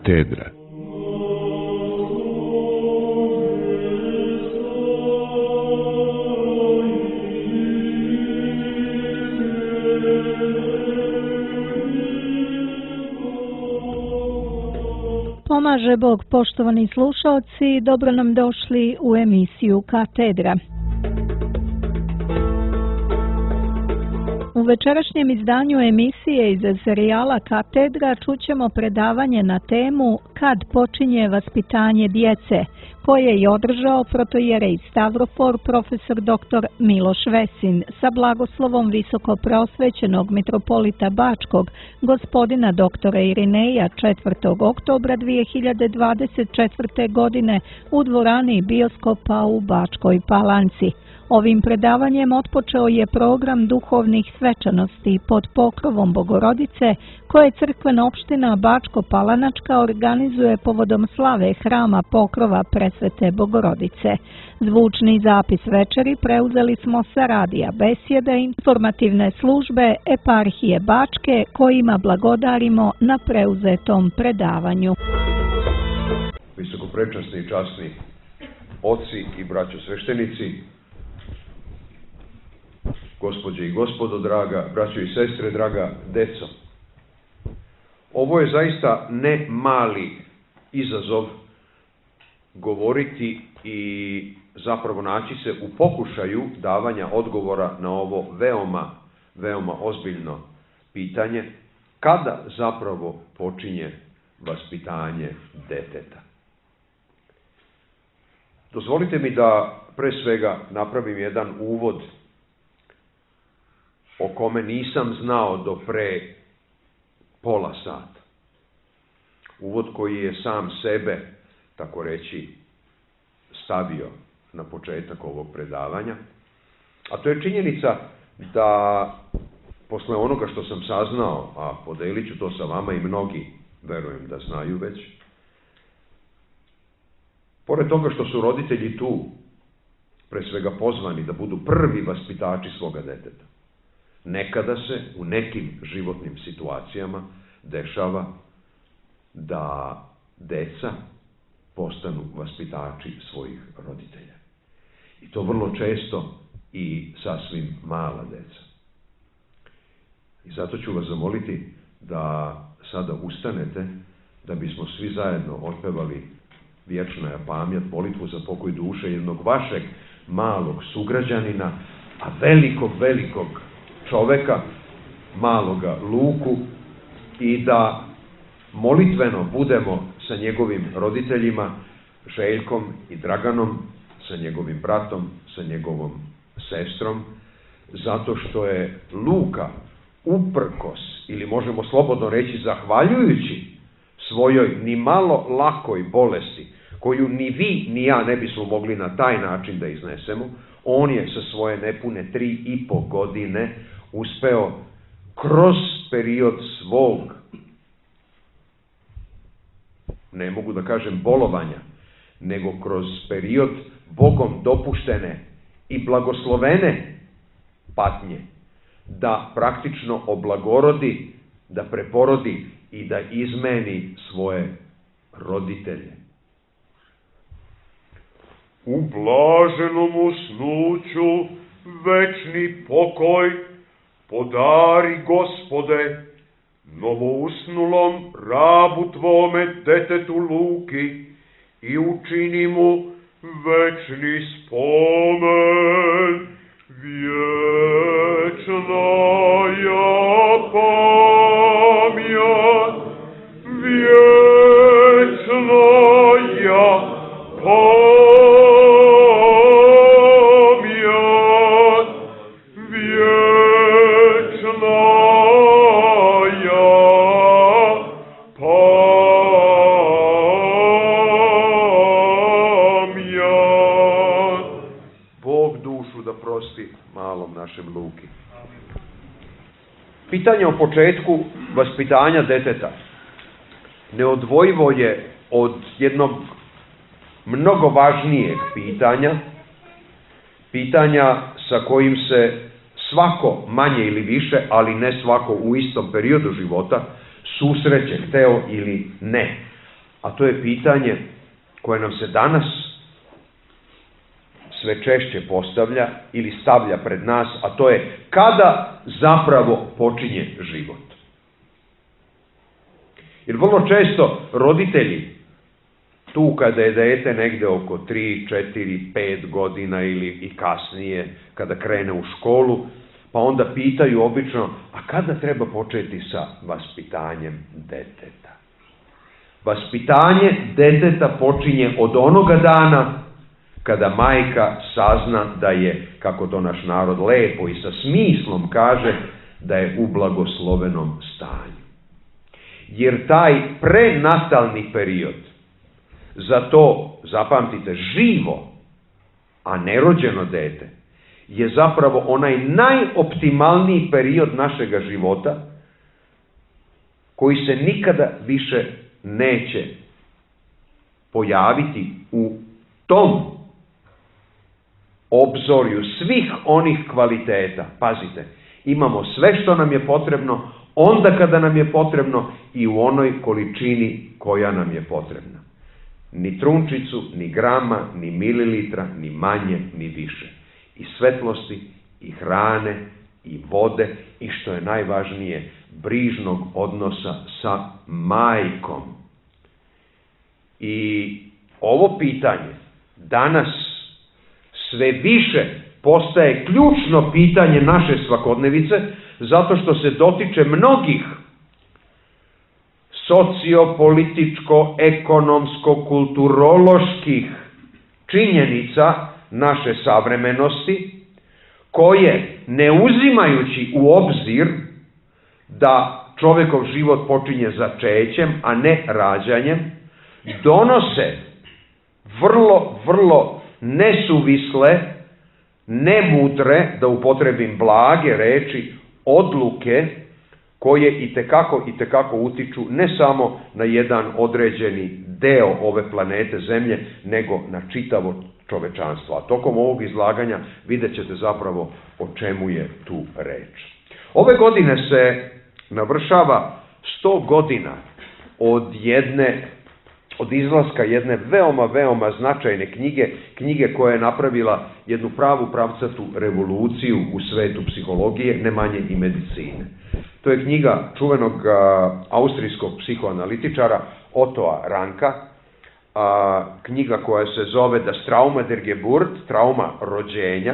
Katedra. Pomaže Bog, poštovani slušalci, dobro nam došli u emisiju Katedra. U večerašnjem izdanju emisije iz serijala Katedra čućemo predavanje na temu Kad počinje vaspitanje djece, koje je održao protojerej Stavrofor profesor dr. Miloš Vesin sa blagoslovom visoko preosvećenog mitropolita Bačkog, gospodina dr. Irineja 4. oktobra 2024. godine u dvorani bioskopa u Bačkoj Palanci. Ovim predavanjem otpočeo je program duhovnih svečanosti pod pokrovom Bogorodice koje crkvena opština Bačko-Palanačka organizuje povodom slave hrama pokrova Presvete Bogorodice. Zvučni zapis večeri preuzeli smo sa radija Besjede informativne službe Eparhije Bačke kojima blagodarimo na preuzetom predavanju. Visokoprečasni i časni oci i braćo sveštenici, gospođe i gospodo, draga braćo i sestre, draga deco. Ovo je zaista ne mali izazov govoriti i zapravo naći se u pokušaju davanja odgovora na ovo veoma ozbiljno pitanje, kada zapravo počinje vaspitanje deteta. Dozvolite mi da pre svega napravim jedan uvod o kome nisam znao do pre pola sata. Uvod koji je sam sebe, tako reći, stavio na početak ovog predavanja. A to je činjenica da posle onoga što sam saznao, a podelit ću to sa vama i mnogi, verujem da znaju već, pored toga što su roditelji tu, pre svega pozvani da budu prvi vaspitači svoga deteta, nekada se u nekim životnim situacijama dešava da deca postanu vaspitači svojih roditelja. I to vrlo često i sasvim mala deca. I zato ću vas zamoliti da sada ustanete, da bismo svi zajedno otpevali Vječna je pamjat, molitvu za pokoj duše jednog vašeg malog sugrađanina, a velikog čoveka, maloga Luku, i da molitveno budemo sa njegovim roditeljima, Željkom i Draganom, sa njegovim bratom, sa njegovom sestrom, zato što je Luka uprkos, ili možemo slobodno reći zahvaljujući svojoj ni malo lakoj bolesti, koju ni vi ni ja ne bismo mogli na taj način da iznesemo, on je sa svoje nepune 3,5 godine uspeo kroz period svog, ne mogu da kažem bolovanja, nego kroz period Bogom dopuštene i blagoslovene patnje, da praktično oblagorodi, da preporodi i da izmeni svoje roditelje. U blaženom usnuću večni pokoj podari, Gospode, novousnulom rabu Tvome, detetu Luki, i učini mu večni spomen, vječna ja pamjat, vječna ja pamjat, vječna ja pamjat. Bog dušu da prosti malom našem Luki. Pitanje o početku vaspitanja deteta neodvojivo je od jednog mnogo važnijeg pitanja sa kojim se svako manje ili više, ali ne svako u istom periodu života susreće, hteo ili ne. a to je pitanje koje nam se danas sve češće postavlja ili stavlja pred nas, a to je kada zapravo počinje život. Jer vrlo često roditelji, tu kada je dete negde oko 3, 4, 5 godina ili i kasnije, kada krene u školu, pa onda pitaju obično, a kada treba početi sa vaspitanjem deteta? Vaspitanje deteta počinje od onoga dana kada majka sazna da je, kako to naš narod lepo i sa smislom kaže, da je u blagoslovenom stanju. Jer taj prenatalni period, za to, zapamtite, živo, a nerođeno dete, je zapravo onaj najoptimalniji period našega života koji se nikada više neće pojaviti u tom obzorju svih onih kvaliteta. Pazite, imamo sve što nam je potrebno, onda kada nam je potrebno i u onoj količini koja nam je potrebna. Ni trunčicu, ni grama, ni mililitra, ni manje, ni više. I svetlosti, i hrane, i vode, i što je najvažnije, brižnog odnosa sa majkom. I ovo pitanje danas sve više postaje ključno pitanje naše svakodnevice, zato što se dotiče mnogih sociopolitičko, ekonomsko, kulturoloških činjenica naše savremenosti, koje, ne uzimajući u obzir da čovekov život počinje začećem, a ne rađanjem, donose vrlo nesuvisle, nemudre, da upotrebim blage reči, odluke koje itekako utiču ne samo na jedan određeni deo ove planete Zemlje, nego na čitavo čovečanstvo. A tokom ovog izlaganja vidjet ćete zapravo o čemu je tu reč. Ove godine se navršava 100 godina od izlaska jedne veoma značajne knjige koja je napravila jednu pravu pravcatu revoluciju u svetu psihologije, ne manje i medicine. To je knjiga čuvenog austrijskog psihoanalitičara Ottoa Ranka, knjiga koja se zove Das Trauma der Geburt, trauma rođenja,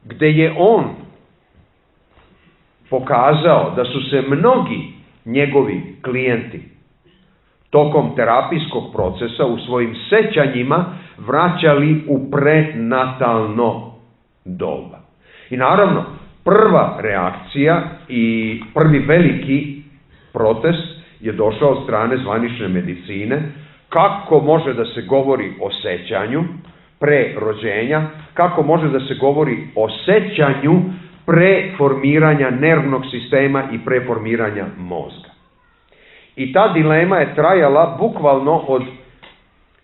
gde je on pokazao da su se mnogi njegovi klijenti tokom terapijskog procesa u svojim sećanjima vraćali u prenatalno doba. I naravno, prva reakcija i prvi veliki protest je došao od strane zvanične medicine. Kako može da se govori o sećanju pre rođenja, kako može da se govori o sećanju pre formiranja nervnog sistema i pre formiranja mozga. I ta dilema je trajala bukvalno od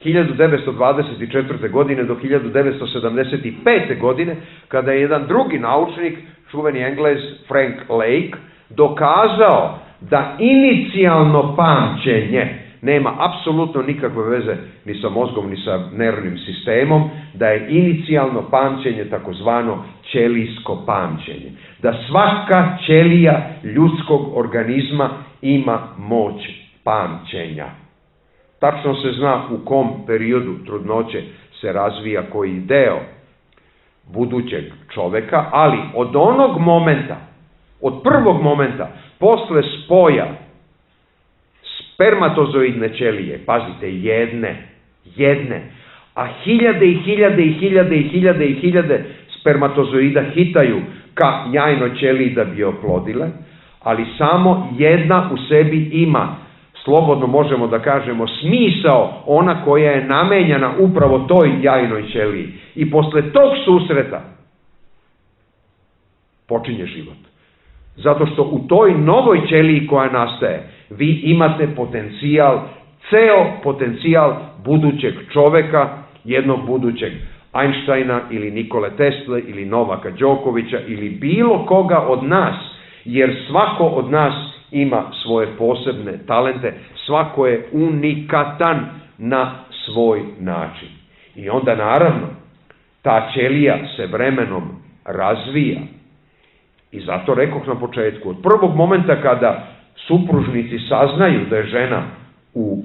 1924. godine do 1975. godine, kada je jedan drugi naučnik, čuveni Englez Frank Lake, dokazao da inicijalno pamćenje nema apsolutno nikakve veze ni sa mozgom, ni sa nervnim sistemom, da je inicijalno pamćenje takozvano ćelijsko pamćenje. Da svaka ćelija ljudskog organizma ima moć pamćenja. Tačno se zna u kom periodu trudnoće se razvija koji deo budućeg čoveka, ali od onog momenta, od prvog momenta, posle spoja spermatozoidne ćelije, pazite, jedne, a hiljade spermatozoida hitaju ka jajnoj ćeliji da bi je oplodile, ali samo jedna u sebi ima, slobodno možemo da kažemo, smisao, ona koja je namenjena upravo toj jajnoj ćeliji. I posle tog susreta počinje život. Zato što u toj novoj ćeliji koja nastaje, vi imate potencijal, ceo potencijal budućeg čoveka, jednog budućeg Einsteina ili Nikole Tesle ili Novaka Đokovića ili bilo koga od nas, jer svako od nas ima svoje posebne talente, svako je unikatan na svoj način. I onda naravno ta ćelija se vremenom razvija. I zato rekoh na početku, od prvog momenta kada supružnici saznaju da je žena u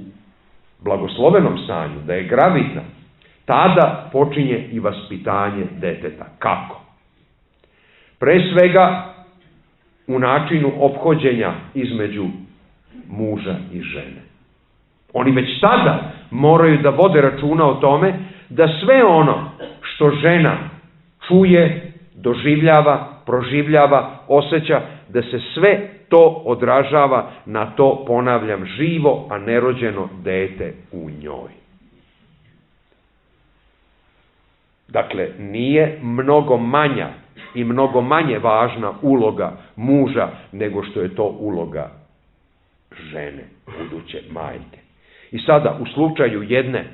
blagoslovenom stanju, da je gravidna, tada počinje i vaspitanje deteta. Kako? Pre svega u načinu ophođenja između muža i žene. Oni već tada moraju da vode računa o tome da sve ono što žena čuje, doživljava, proživljava, osjeća, da se sve to odražava na to, ponavljam, živo, a nerođeno dete u njoj. Dakle, nije mnogo manja i mnogo manje važna uloga muža nego što je to uloga žene, buduće majke. I sada, u slučaju jedne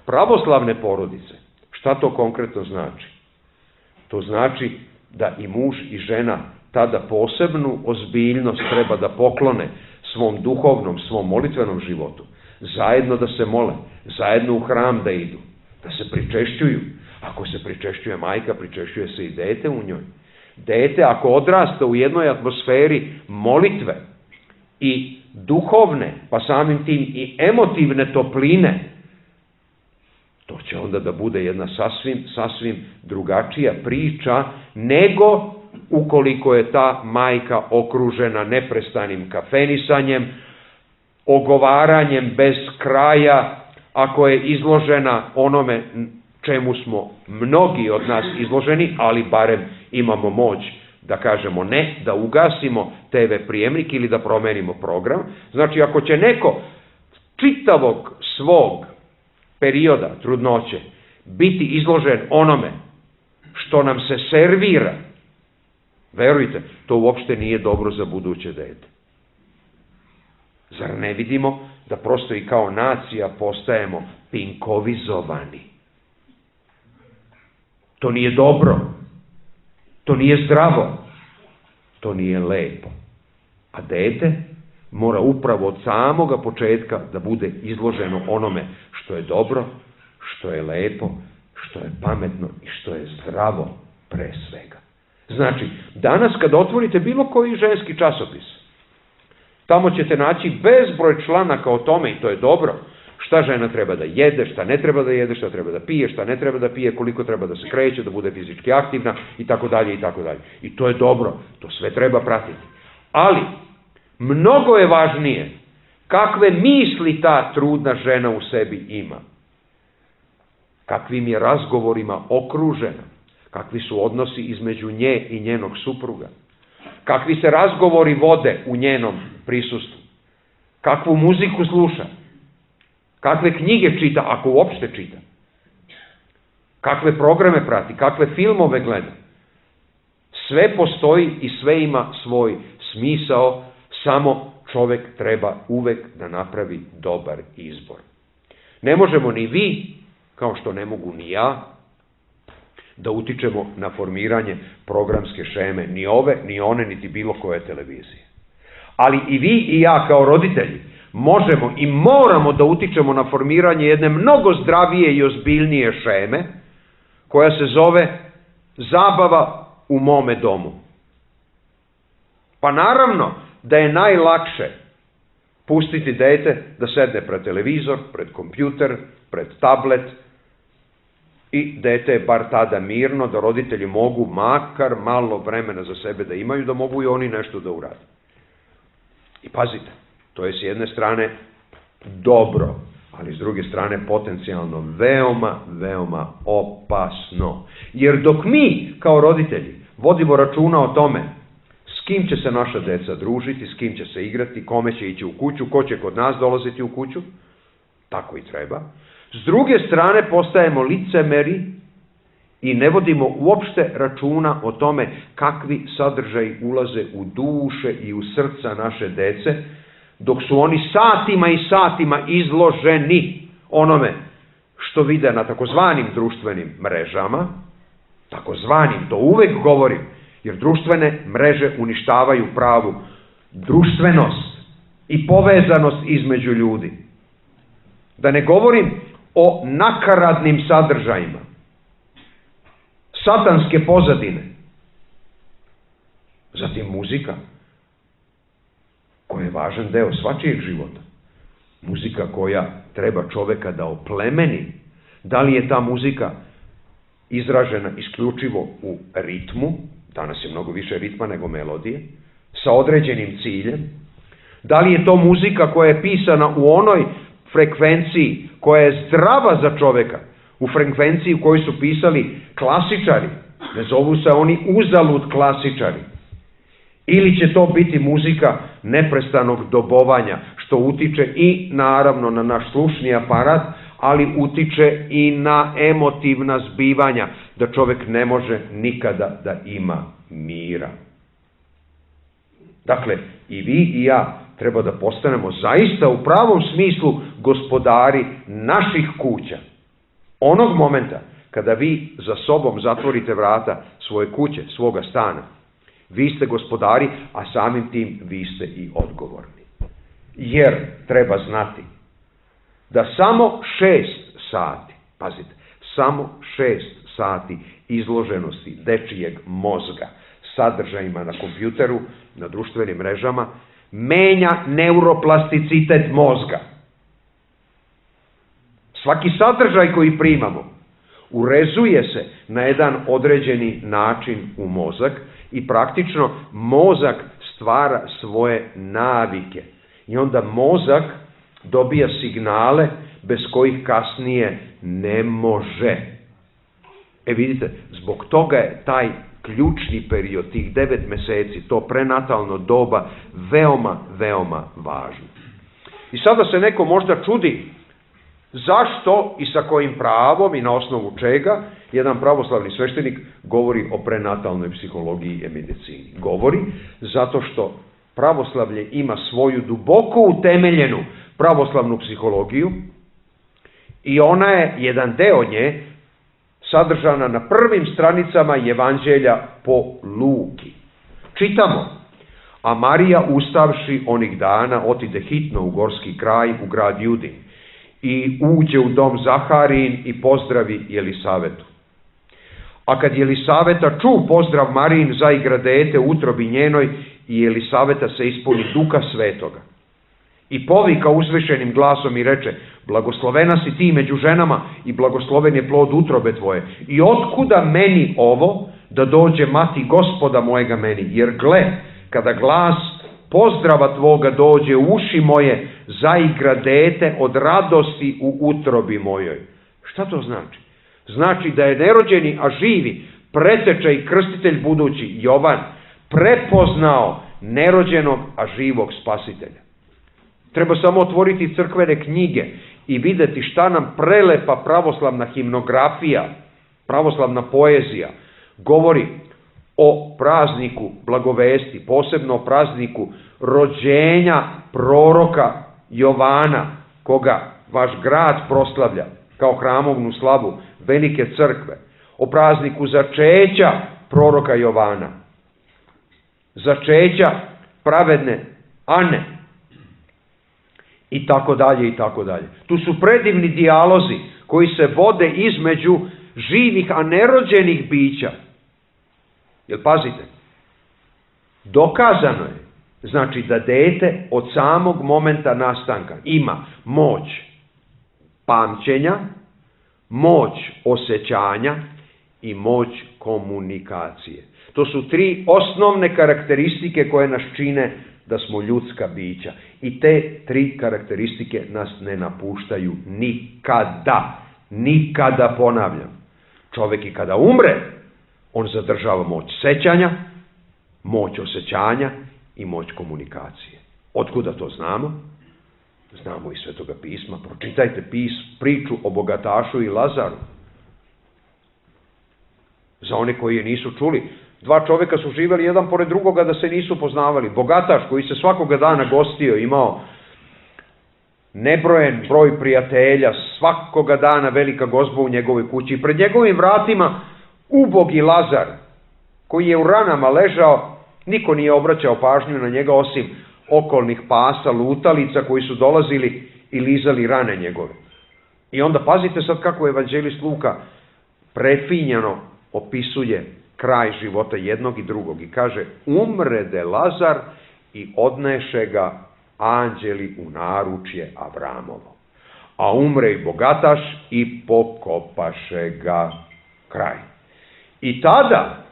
pravoslavne porodice, šta to konkretno znači? To znači da i muž i žena tada posebnu ozbiljnost treba da poklone svom duhovnom, svom molitvenom životu, zajedno da se mole, zajedno u hram da idu, da se pričešćuju. Ako se pričešćuje majka, pričešćuje se i dete u njoj. Dete, ako odrasta u jednoj atmosferi molitve i duhovne, pa samim tim i emotivne topline, to će onda da bude jedna sasvim drugačija priča nego ukoliko je ta majka okružena neprestanim kafenisanjem, ogovaranjem bez kraja, ako je izložena onome čemu smo mnogi od nas izloženi, ali barem imamo moć da kažemo ne, da ugasimo TV prijemnik ili da promenimo program. Znači, ako će neko čitavog svog perioda trudnoće biti izložen onome što nam se servira, verujte, to uopšte nije dobro za buduće dete. Zar ne vidimo da prosto i kao nacija postajemo pinkovizovani? To nije dobro, to nije zdravo, to nije lepo. A dete mora upravo od samoga početka da bude izloženo onome što je dobro, što je lepo, što je pametno i što je zdravo pre svega. Znači, danas kada otvorite bilo koji ženski časopis, tamo ćete naći bezbroj članaka o tome, i to je dobro, šta žena treba da jede, šta ne treba da jede, šta treba da pije, šta ne treba da pije, koliko treba da se kreće, da bude fizički aktivna i tako dalje i tako dalje. I to je dobro, to sve treba pratiti. Ali, mnogo je važnije kakve misli ta trudna žena u sebi ima, kakvim je razgovorima okružena, kakvi su odnosi između nje i njenog supruga, kakvi se razgovori vode u njenom prisustvu, kakvu muziku sluša, kakve knjige čita, ako uopšte čita, kakve programe prati, kakve filmove gleda. Sve postoji i sve ima svoj smisao, samo čovek treba uvek da napravi dobar izbor. Ne možemo ni vi, kao što ne mogu ni ja, da utičemo na formiranje programske šeme, ni ove, ni one, niti bilo koje televizije. Ali i vi i ja kao roditelji možemo i moramo da utičemo na formiranje jedne mnogo zdravije i ozbiljnije šeme, koja se zove zabava u mome domu. Pa naravno da je najlakše pustiti dete da sedne pred televizor, pred kompjuter, pred tablet, i dete je bar tada mirno, da roditelji mogu makar malo vremena za sebe da imaju, da mogu i oni nešto da urade. I pazite, to je s jedne strane dobro, ali s druge strane potencijalno veoma opasno. Jer dok mi kao roditelji vodimo računa o tome s kim će se naša deca družiti, s kim će se igrati, kome će ići u kuću, ko će kod nas dolaziti u kuću, tako i treba. S druge strane postajemo licemeri i ne vodimo uopšte računa o tome kakvi sadržaji ulaze u duše i u srca naše dece, dok su oni satima i satima izloženi onome što vide na takozvanim društvenim mrežama, takozvanim, to uvek govorim, jer društvene mreže uništavaju pravu društvenost i povezanost između ljudi. Da ne govorim o nakaradnim sadržajima, satanske pozadine. Zatim muzika, koja je važan deo svačijeg života. Muzika koja treba čoveka da oplemeni. Da li je ta muzika izražena isključivo u ritmu, danas je mnogo više ritma nego melodije, sa određenim ciljem? Da li je to muzika koja je pisana u onoj frekvenciji koja je zdrava za čoveka, u frekvenciji u kojoj su pisali klasičari, ne zovu se oni uzalud klasičari? Ili će to biti muzika neprestanog dobovanja, što utiče i naravno na naš slušni aparat, ali utiče i na emotivna zbivanja, da čovek ne može nikada da ima mira. Dakle, i vi i ja treba da postanemo zaista u pravom smislu gospodari naših kuća. Onog momenta kada vi za sobom zatvorite vrata svoje kuće, svoga stana, vi ste gospodari, a samim tim vi ste i odgovorni. Jer treba znati da samo 6 sati, pazite, samo 6 sati izloženosti dečijeg mozga sadržajima na kompjuteru, na društvenim mrežama, menja neuroplasticitet mozga. Svaki sadržaj koji primamo urezuje se na jedan određeni način u mozak i praktično mozak stvara svoje navike. I onda mozak dobija signale bez kojih kasnije ne može. Vidite, zbog toga je taj ključni period, tih 9 meseci, to prenatalno doba, veoma, veoma važno. I sada se neko možda čudi zašto i sa kojim pravom i na osnovu čega jedan pravoslavni sveštenik govori o prenatalnoj psihologiji i medicini. Govori zato što pravoslavlje ima svoju duboko utemeljenu pravoslavnu psihologiju i ona je, jedan deo nje, sadržana na prvim stranicama Evanđelja po Luki. Čitamo: a Marija ustavši onih dana otide hitno u gorski kraj, u grad Judin, i uđe u dom Zaharijin i pozdravi Jelisavetu. A kad Jelisaveta ču pozdrav Marijin, zaigra dete u utrobi njenoj i Jelisaveta se ispuni Duha Svetoga. I povika uzvišenim glasom i reče: blagoslovena si ti među ženama i blagosloven je plod utrobe tvoje. I otkuda meni ovo da dođe mati Gospoda mojega meni? Jer gle, kada glas pozdrava tvoga dođe u uši moje, zaigra dete od radosti u utrobi mojoj. Šta to znači? Znači da je nerođeni, a živi, preteča i krstitelj budući Jovan prepoznao nerođenog, a živog spasitelja. Treba samo otvoriti crkvene knjige i videti šta nam prelepa pravoslavna himnografija, pravoslavna poezija govori o prazniku blagovesti, posebno o prazniku rođenja proroka Jovana, koga vaš grad proslavlja kao hramovnu slavu velike crkve, o prazniku začeća proroka Jovana, začeća pravedne Ane, i tako dalje, i tako dalje. Tu su predivni dijalozi koji se vode između živih, a nerođenih bića. Jel pazite? Dokazano je, znači, da dete od samog momenta nastanka ima moć pamćenja, moć osjećanja i moć komunikacije. To su 3 osnovne karakteristike koje nas čine da smo ljudska bića. I te 3 karakteristike nas ne napuštaju nikada. Nikada, ponavljam. Čovjek i kada umre, on zadržava moć sećanja, moć osjećanja i moć komunikacije. Otkuda to znamo? Znamo iz Svetoga pisma. Pročitajte priču o bogatašu i Lazaru. Za one koji je nisu čuli, 2 čovjeka su živjeli jedan pored drugoga da se nisu poznavali. Bogataš koji se svakoga dana gostio, imao nebrojen broj prijatelja, svakoga dana velika gozba u njegovoj kući. I pred njegovim vratima ubogi Lazar, koji je u ranama ležao Niko nije obraćao pažnju na njega osim okolnih pasa, lutalica koji su dolazili i lizali rane njegove. I onda pazite sad kako evanđelist Luka prefinjeno opisuje kraj života jednog i drugog i kaže: umrede Lazar i odneše ga anđeli u naručje Avramovo. A umre i bogataš i pokopaše ga. Kraj. I tada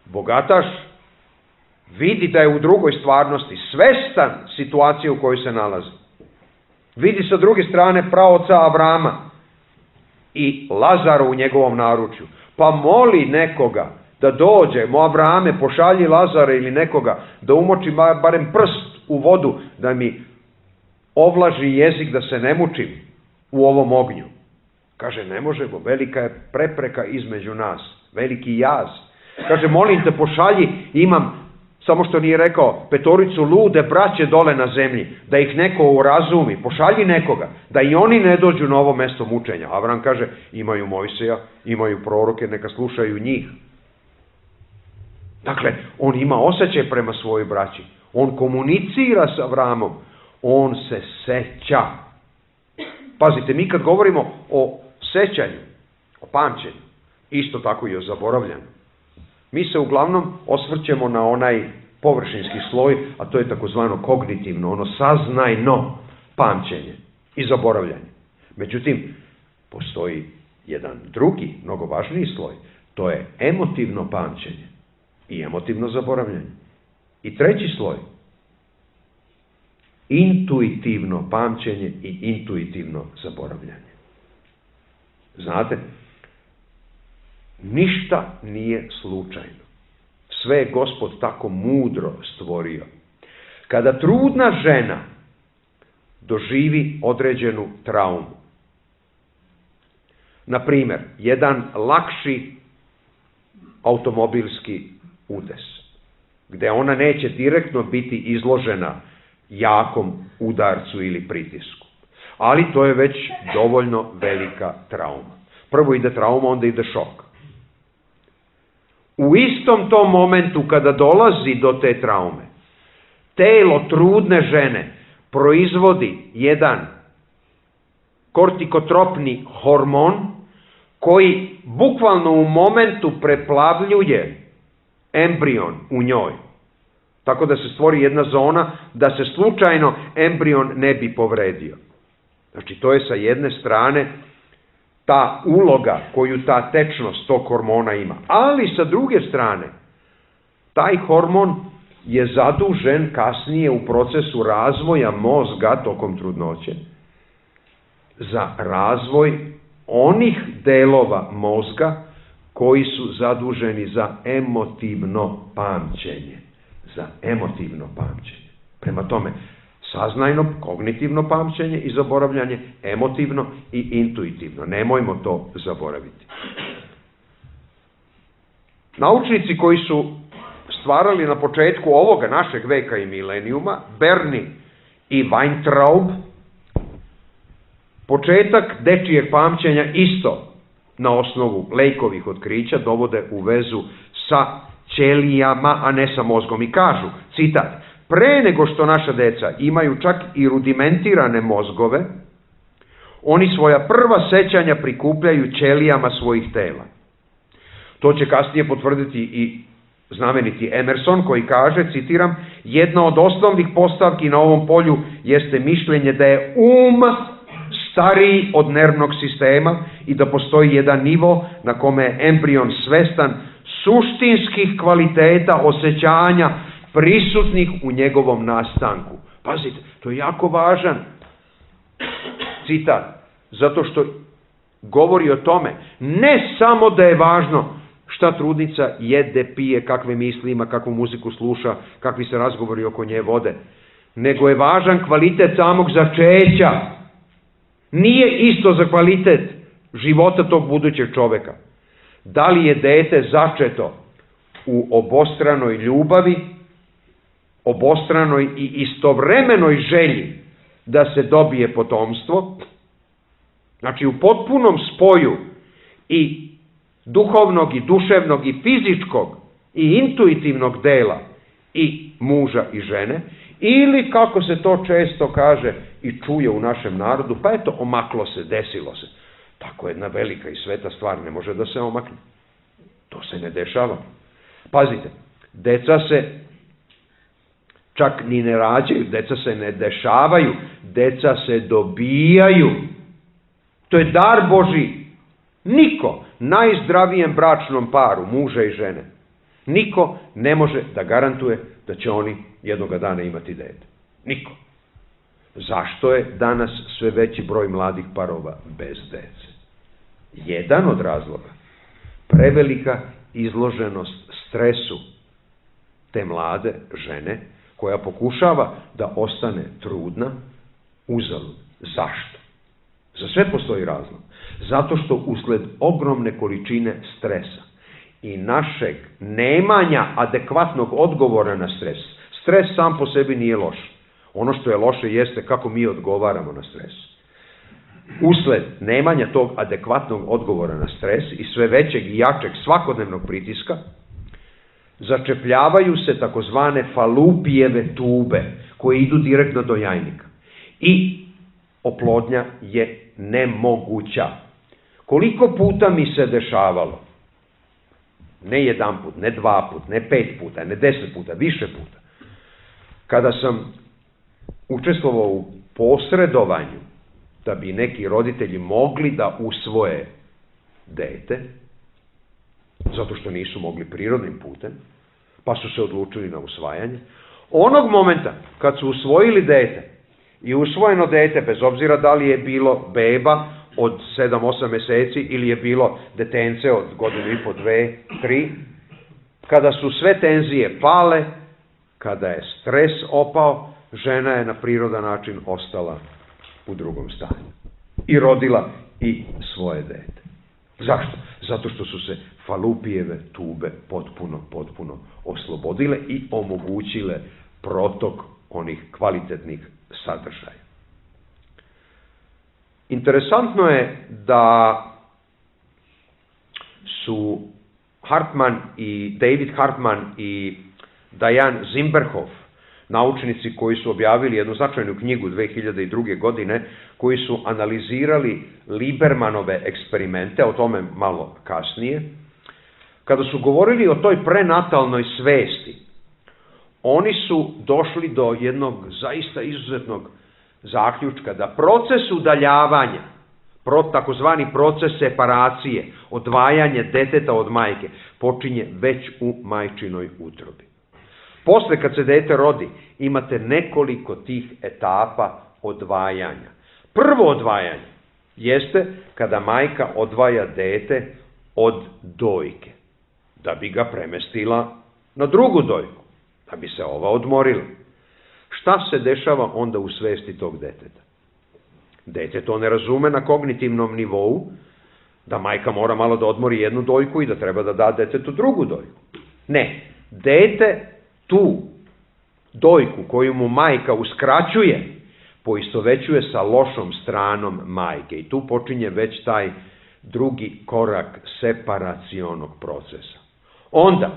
bogataš vidi da je u drugoj stvarnosti, svestan situacije u kojoj se nalazi. Vidi sa druge strane praoca Avrama i Lazara u njegovom naručju. Pa moli nekoga da dođe, Avrame, pošalji Lazara ili nekoga da umoči barem prst u vodu, da mi ovlaži jezik da se ne mučim u ovom ognju. Kaže, ne možemo, velika je prepreka između nas, veliki jaz. Kaže, molim te, pošalji, imam, samo što nije rekao, 5 lude braće dole na zemlji, da ih neko urazumi, pošalji nekoga, da i oni ne dođu na ovo mesto mučenja. Avram kaže, imaju Mojsija, imaju proroke, neka slušaju njih. Dakle, on ima osjećaj prema svojoj braći, on komunicira sa Avramom, on se seća. Pazite, mi kad govorimo o sećanju, o pamćenju, isto tako i o zaboravljanju, mi se uglavnom osvrćemo na onaj površinski sloj, a to je takozvano kognitivno, ono saznajno pamćenje i zaboravljanje. Međutim, postoji jedan drugi, mnogo važniji sloj, to je emotivno pamćenje i emotivno zaboravljanje. I treći sloj, intuitivno pamćenje i intuitivno zaboravljanje. Znate, ništa nije slučajno. Sve je Gospod tako mudro stvorio. Kada trudna žena doživi određenu traumu, na primjer, jedan lakši automobilski udes, gde ona neće direktno biti izložena jakom udarcu ili pritisku, ali to je već dovoljno velika trauma. Prvo ide trauma, onda ide šok. U istom tom momentu kada dolazi do te traume, telo trudne žene proizvodi jedan kortikotropni hormon koji bukvalno u momentu preplavljuje embrion u njoj. Tako da se stvori jedna zona da se slučajno embrion ne bi povredio. Znači, to je sa jedne strane ta uloga koju ta tečnost tog hormona ima. Ali sa druge strane, taj hormon je zadužen kasnije u procesu razvoja mozga tokom trudnoće za razvoj onih delova mozga koji su zaduženi za emotivno pamćenje. Za emotivno pamćenje. Prema tome, saznajno, kognitivno pamćenje i zaboravljanje, emotivno i intuitivno. Nemojmo to zaboraviti. Naučnici koji su stvarali na početku ovoga našeg veka i milenijuma, Berni i Weintraub, početak dečijeg pamćenja isto na osnovu Lejkovih otkrića dovode u vezu sa ćelijama, a ne sa mozgom. I kažu, citat, pre nego što naša deca imaju čak i rudimentirane mozgove, oni svoja prva sećanja prikupljaju ćelijama svojih tela. To će kasnije potvrditi i znameniti Emerson koji kaže, citiram, jedna od osnovnih postavki na ovom polju jeste mišljenje da je stariji od nervnog sistema i da postoji jedan nivo na kome je embrion svestan suštinskih kvaliteta osjećanja prisutnih u njegovom nastanku. Pazite, to je jako važan citat, zato što govori o tome, ne samo da je važno šta trudnica jede, pije, kakve misli ima, kakvu muziku sluša, kakvi se razgovori oko nje vode, nego je važan kvalitet samog začeća. Nije isto za kvalitet života tog budućeg čoveka. Da li je dete začeto u obostranoj ljubavi, obostranoj i istovremenoj želji da se dobije potomstvo, znači u potpunom spoju i duhovnog i duševnog i fizičkog i intuitivnog dela i muža i žene, ili kako se to često kaže i čuje u našem narodu, pa eto, omaklo se, desilo se. Tako jedna velika i sveta stvar ne može da se omakne. To se ne dešava. Pazite, deca se čak ni ne rađaju, deca se ne dešavaju, deca se dobijaju. To je dar Božji. Niko, najzdravijem bračnom paru, muža i žene, niko ne može da garantuje da će oni jednoga dana imati dete. Niko. Zašto je danas sve veći broj mladih parova bez dece? Jedan od razloga, prevelika izloženost stresu te mlade žene koja pokušava da ostane trudna uzalud. Zašto? Za sve postoji razlog. Zato što usled ogromne količine stresa i našeg nemanja adekvatnog odgovora na stres. Stres sam po sebi nije loš. Ono što je loše jeste kako mi odgovaramo na stres. Usled nemanja tog adekvatnog odgovora na stres i sve većeg i jačeg svakodnevnog pritiska, začepljavaju se takozvane falupijeve tube koje idu direktno do jajnika. I oplodnja je nemoguća. Koliko puta mi se dešavalo, ne jedan put, ne 2 puta, ne 5 puta, ne 10 puta, više puta, kada sam učestvovao u posredovanju da bi neki roditelji mogli da usvoje dete, zato što nisu mogli prirodnim putem, pa su se odlučili na usvajanje. Onog momenta kad su usvojili dete i usvojeno dete, bez obzira da li je bilo beba od 7-8 meseci ili je bilo detence od 1,5 godinu, 2, 3, kada su sve tenzije pale, kada je stres opao, žena je na prirodan način ostala u drugom stanju i rodila i svoje dete. Zašto? Zato što su se falupijeve tube potpuno oslobodile i omogućile protok onih kvalitetnih sadržaja. Interesantno je da su David Hartman i Diane Zimberhoff, naučnici koji su objavili jednu značajnu knjigu 2002. godine, koji su analizirali Libermanove eksperimente, o tome malo kasnije, kada su govorili o toj prenatalnoj svesti, oni su došli do jednog zaista izuzetnog zaključka da proces udaljavanja, takozvani proces separacije, odvajanje deteta od majke, počinje već u majčinoj utrobi. Posle kad se dete rodi, imate nekoliko tih etapa odvajanja. Prvo odvajanje jeste kada majka odvaja dete od dojke, da bi ga premestila na drugu dojku, da bi se ova odmorila. Šta se dešava onda u svesti tog deteta? Dete to ne razume na kognitivnom nivou, da majka mora malo da odmori jednu dojku i da treba da da detetu drugu dojku. Ne, dete tu dojku koju mu majka uskraćuje, poistovećuje sa lošom stranom majke. I tu počinje već taj drugi korak separacionog procesa. Onda,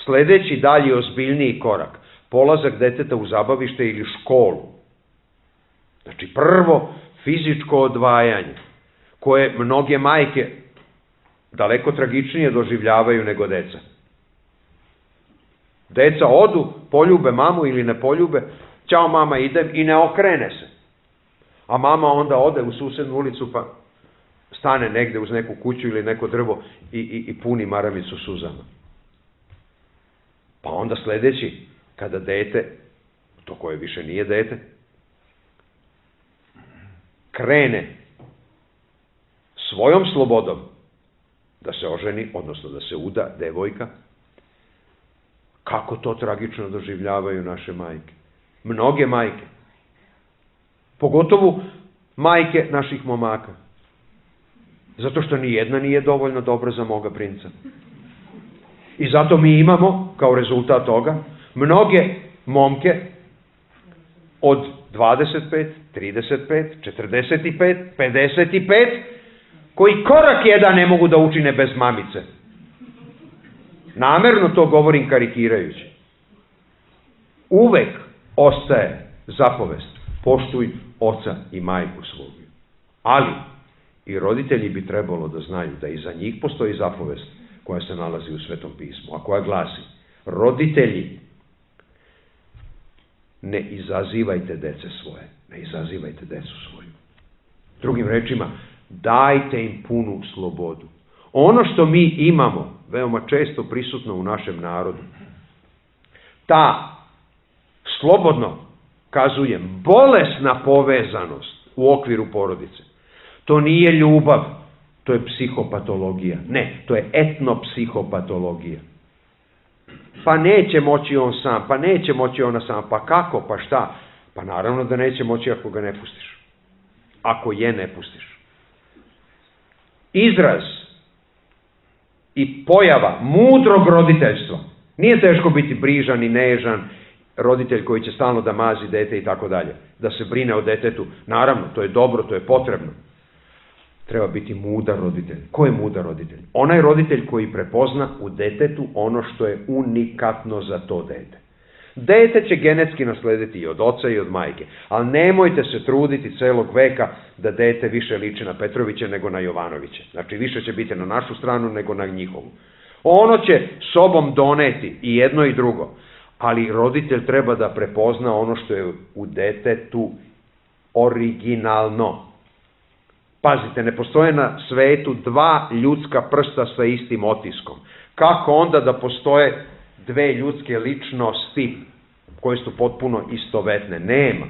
sledeći dalje ozbiljniji korak, polazak deteta u zabavište ili školu. Znači, prvo fizičko odvajanje, koje mnoge majke daleko tragičnije doživljavaju nego deca. Deca odu, poljube mamu ili ne poljube, ćao mama, idem, i ne okrene se. A mama onda ode u susednu ulicu pa stane negde uz neku kuću ili neko drvo i puni maramicu suzama. Pa onda sledeći, kada dete, to koje više nije dete, krene svojom slobodom da se oženi, odnosno da se uda devojka, kako to tragično doživljavaju naše majke. Mnoge majke. Pogotovo majke naših momaka. Zato što nijedna nije dovoljno dobra za moga princa. I zato mi imamo, kao rezultat toga, mnoge momke od 25, 35, 45, 55, koji korak jedan ne mogu da učine bez mamice. Namerno to govorim karikirajući. uvek ostaje zapovest: poštuj oca i majku svoju. Ali i roditelji bi trebalo da znaju da i za njih postoji zapovest koja se nalazi u Svetom pismu, a koja glasi: roditelji, ne izazivajte dece svoje, ne izazivajte decu svoju. Drugim rečima, dajte im punu slobodu. Ono što mi imamo, veoma često prisutno u našem narodu, ta, slobodno kazujem, bolesna povezanost u okviru porodice, to nije ljubav, to je psihopatologija. Ne, to je etnopsihopatologija. Pa neće moći on sam, pa neće moći ona sam, pa kako, pa šta? Pa naravno da neće moći ako ga ne pustiš. Ako je ne pustiš. Izraz i pojava mudrog roditeljstva. Nije teško biti brižan i nežan roditelj koji će stalno da mazi dete i tako dalje. Da se brine o detetu. Naravno, to je dobro, to je potrebno. Treba biti mudar roditelj. Ko je mudar roditelj? Onaj roditelj koji prepozna u detetu ono što je unikatno za to dete. Dete će genetski naslediti i od oca i od majke, ali nemojte se truditi celog veka da dete više liči na Petrovića nego na Jovanovića. Znači, više će biti na našu stranu nego na njihovu. Ono će sobom doneti i jedno i drugo, ali roditelj treba da prepozna ono što je u detetu originalno. Pazite, ne postoje na svetu dva ljudska prsta sa istim otiskom. Kako onda da postoje dve ljudske ličnosti koje su potpuno istovetne? Nema.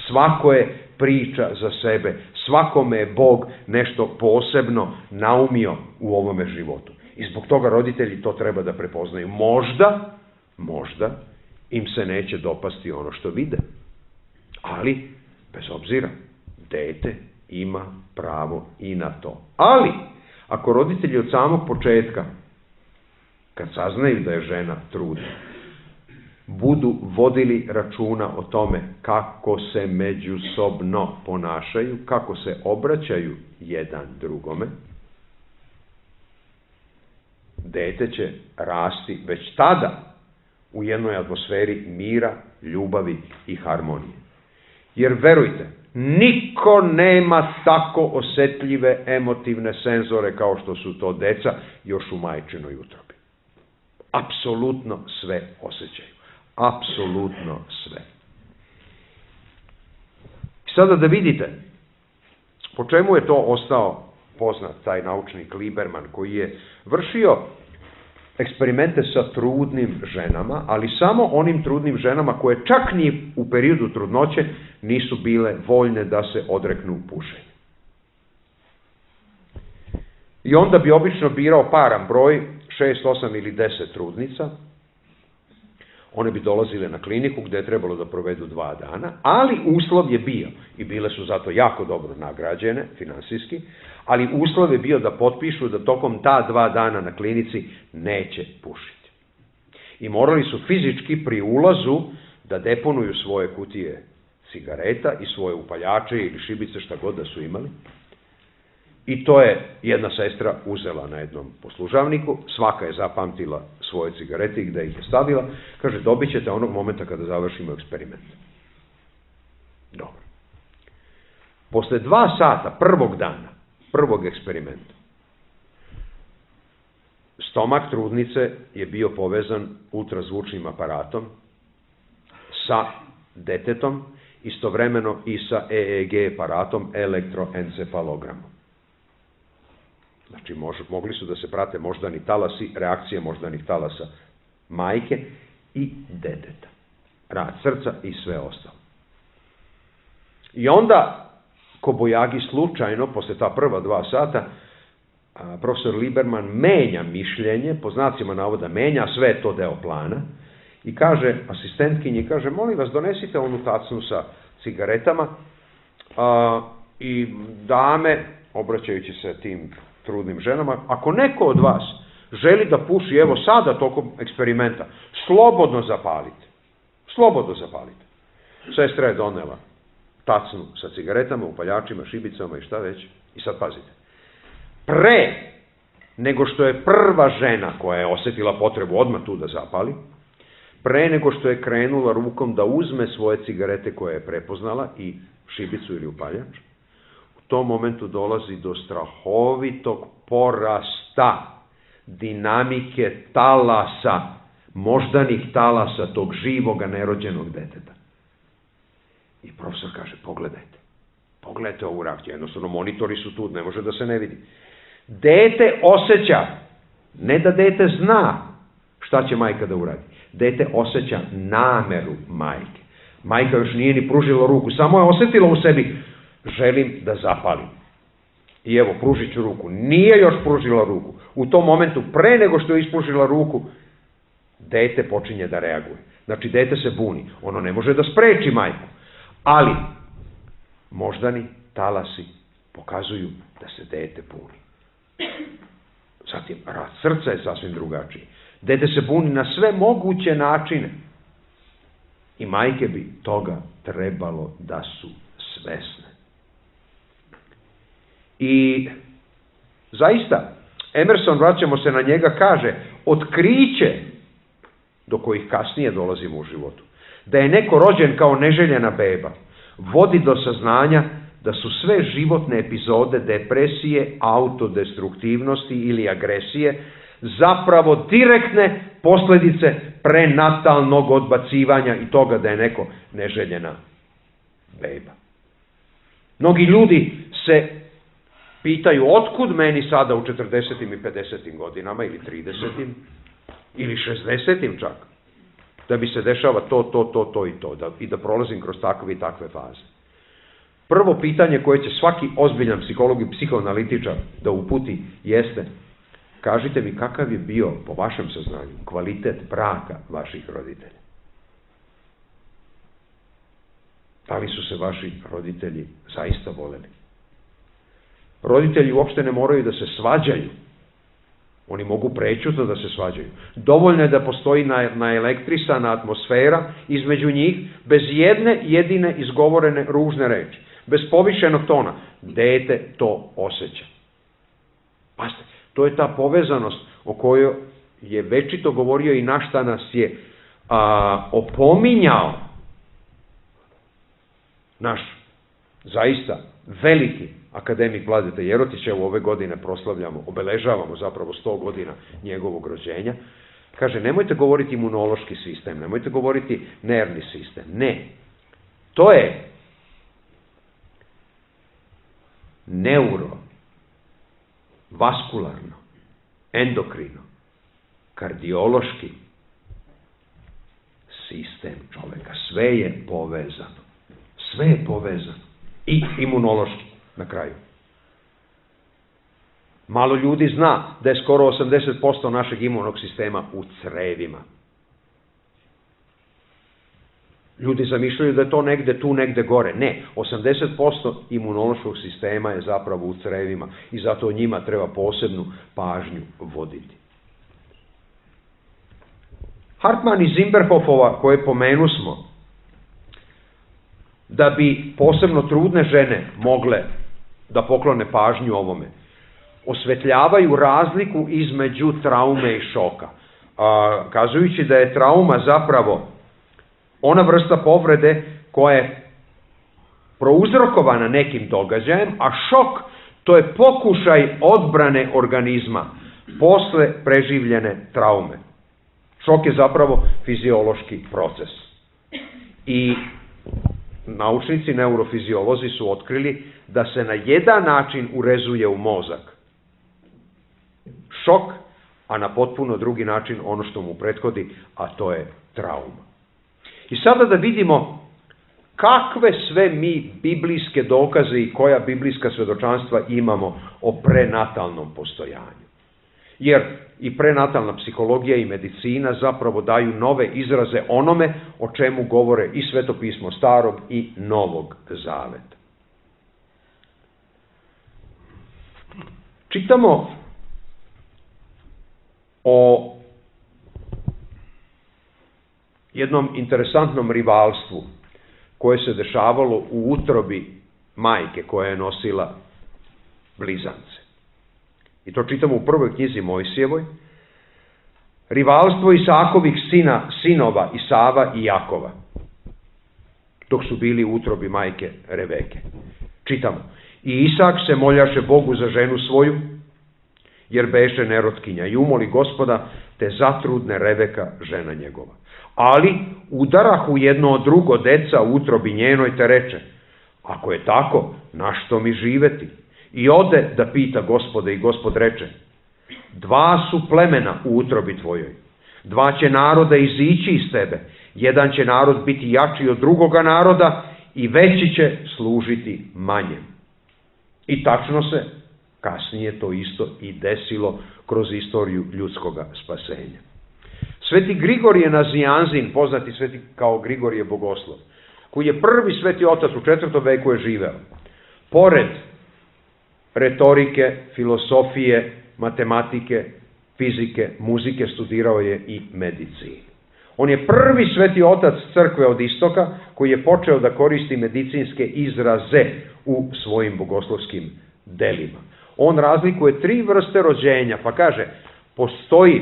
Svako je priča za sebe. Svakome je Bog nešto posebno naumio u ovome životu. I zbog toga roditelji to treba da prepoznaju. Možda im se neće dopasti ono što vide. Ali, bez obzira, dete ima pravo i na to. Ali, ako roditelji od samog početka, kad saznaju da je žena trudna, budu vodili računa o tome kako se međusobno ponašaju, kako se obraćaju jedan drugome, dete će rasti već tada u jednoj atmosferi mira, ljubavi i harmonije. Jer verujte, niko nema tako osetljive emotivne senzore kao što su to deca još u majčinoj utrobi. Apsolutno sve osjećaju. Apsolutno sve. Sada da vidite po čemu je to ostao poznat taj naučnik Lieberman, koji je vršio eksperimente sa trudnim ženama, ali samo onim trudnim ženama koje čak ni u periodu trudnoće nisu bile voljne da se odreknu pušenja. I onda bi obično birao paran broj, 6, 8 ili 10 trudnica. One bi dolazile na kliniku gde je trebalo da provedu 2 dana, ali uslov je bio, i bile su zato jako dobro nagrađene finansijski, ali uslov je bio da potpišu da tokom ta 2 dana na klinici neće pušiti. I morali su fizički pri ulazu da deponuju svoje kutije cigareta i svoje upaljače ili šibice, šta god da su imali. I to je jedna sestra uzela na jednom poslužavniku, svaka je zapamtila svoje cigarete i gde ih je stavila, kaže, dobit ćete onog momenta kada završimo eksperiment. Dobro. Posle 2 sata prvog dana, prvog eksperimenta, stomak trudnice je bio povezan ultrazvučnim aparatom sa detetom, istovremeno i sa EEG aparatom, elektroencefalogramom. Znači, mogli su da se prate moždani talasi, reakcije moždanih talasa majke i deteta. Rad srca i sve ostalo. I onda, kobojagi slučajno, posle ta prva 2 sata, profesor Lieberman menja mišljenje, po znacima navoda menja, sve je to deo plana, i kaže asistentkinji, kaže, molim vas, donesite onu tacnu sa cigaretama i dame, obraćajući se tim trudnim ženama, ako neko od vas želi da puši, evo sada tokom eksperimenta, slobodno zapalite. Slobodno zapalite. Sestra je donela tacnu sa cigaretama, upaljačima, šibicama i šta već. I sad pazite. Pre nego što je prva žena koja je osetila potrebu odmah tu da zapali, pre nego što je krenula rukom da uzme svoje cigarete koje je prepoznala i šibicu ili upaljač, u tom momentu dolazi do strahovitog porasta dinamike talasa, moždanih talasa tog živoga nerođenog deteta. I profesor kaže, pogledajte ovu reakciju, jednostavno monitori su tu, ne može da se ne vidi. Dete osjeća, ne da dete zna šta će majka da uradi, dete osjeća nameru majke. Majka još nije ni pružila ruku, samo je osjetila u sebi, želim da zapalim. I evo, pružit ću ruku. Nije još pružila ruku. U tom momentu, pre nego što je ispružila ruku, dete počinje da reaguje. Znači, dete se buni. Ono ne može da spreči majku. Ali, moždani talasi pokazuju da se dete buni. Zatim, rad srca je sasvim drugačiji. Dete se buni na sve moguće načine. I majke bi toga trebalo da su svesne. I zaista, Emerson, vraćamo se na njega, kaže, otkriće do kojih kasnije dolazimo u životu, da je neko rođen kao neželjena beba, vodi do saznanja da su sve životne epizode depresije, autodestruktivnosti ili agresije zapravo direktne posljedice prenatalnog odbacivanja i toga da je neko neželjena beba. Mnogi ljudi se pitaju otkud meni sada u 40. i 50. godinama ili 30. ili 60. čak, da bi se dešava to i to, i da prolazim kroz takve i takve faze. Prvo pitanje koje će svaki ozbiljan psiholog i psihoanalitičar da uputi jeste, kažite mi kakav je bio, po vašem saznanju, kvalitet braka vaših roditelja. Da li su se vaši roditelji zaista voleli? Roditelji uopšte ne moraju da se svađaju. Oni mogu prećutno da se svađaju. Dovoljno je da postoji naelektrisana atmosfera između njih, bez jedne jedine izgovorene ružne reči, bez povišenog tona. Dete to osjeća. Pazite, to je ta povezanost o kojoj je večito govorio i na šta nas je opominjao naš zaista veliki akademik Vladeta Jerotić. Evo ove godine obeležavamo zapravo 100 godina njegovog rođenja. Kaže, nemojte govoriti imunološki sistem, nemojte govoriti nervni sistem. Ne, to je vaskularno, endokrino, kardiološki sistem čoveka. Sve je povezano. Sve je povezano. I imunološki na kraju. Malo ljudi zna da je skoro 80% našeg imunog sistema u crevima. Ljudi zamišljaju da je to negde tu, negde gore. Ne, 80% imunološkog sistema je zapravo u crevima i zato o njima treba posebnu pažnju voditi. Hartman i Zimberhofova, koje pomenusmo, da bi posebno trudne žene mogle da poklone pažnju ovome, osvetljavaju razliku između traume i šoka, kazujući da je trauma zapravo ona vrsta povrede koja je prouzrokovana nekim događajem, a šok to je pokušaj odbrane organizma posle preživljene traume. Šok je zapravo fiziološki proces. I naučnici, neurofiziolozi su otkrili da se na jedan način urezuje u mozak šok, a na potpuno drugi način ono što mu prethodi, a to je trauma. I sada da vidimo kakve sve mi biblijske dokaze i koja biblijska svedočanstva imamo o prenatalnom postojanju. Jer i prenatalna psihologija i medicina zapravo daju nove izraze onome o čemu govore i Svetopismo Starog i Novog Zaveta. Čitamo o jednom interesantnom rivalstvu koje se dešavalo u utrobi majke koja je nosila blizance. I to čitamo u prvoj knjizi Mojsijevoj. rivalstvo Isakovih sinova Isava i Jakova, dok su bili u utrobi majke Reveke. Čitamo: i Isak se moljaše Bogu za ženu svoju, jer beše nerotkinja, i umoli Gospoda, te zatrudne Reveka, žena njegova. Ali udarahu jedno od drugo deca u utrobi njenoj, te reče: ako je tako, na što mi živeti? I ode da pita Gospoda, i Gospod reče: dva su plemena u utrobi tvojoj, dva će naroda izići iz tebe, jedan će narod biti jači od drugoga naroda i veći će služiti manjem. I tačno se kasnije to isto i desilo kroz istoriju ljudskoga spasenja. Sveti Grigorije Nazianzin, poznati sveti kao Grigorije Bogoslov, koji je prvi sveti otac u 4. veku je živeo, pored retorike, filosofije, matematike, fizike, muzike, studirao je i medicinu. On je prvi sveti otac crkve od istoka koji je počeo da koristi medicinske izraze u svojim bogoslovskim delima. On razlikuje 3 vrste rođenja, pa kaže: postoji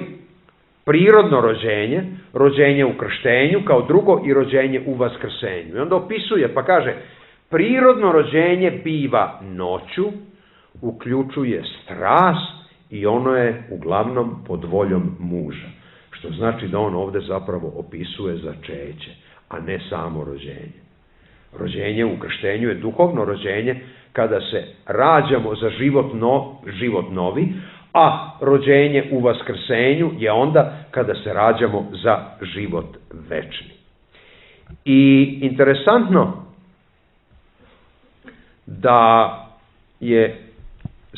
prirodno rođenje, rođenje u krštenju, kao drugo i rođenje u vaskrsenju. I onda opisuje, pa kaže: prirodno rođenje biva noću, uključuje strast i ono je uglavnom pod voljom muža. Što znači da on ovde zapravo opisuje začeće, a ne samo rođenje. Rođenje u krštenju je duhovno rođenje kada se rađamo za život novi, a rođenje u vaskrsenju je onda kada se rađamo za život večni. I interesantno da je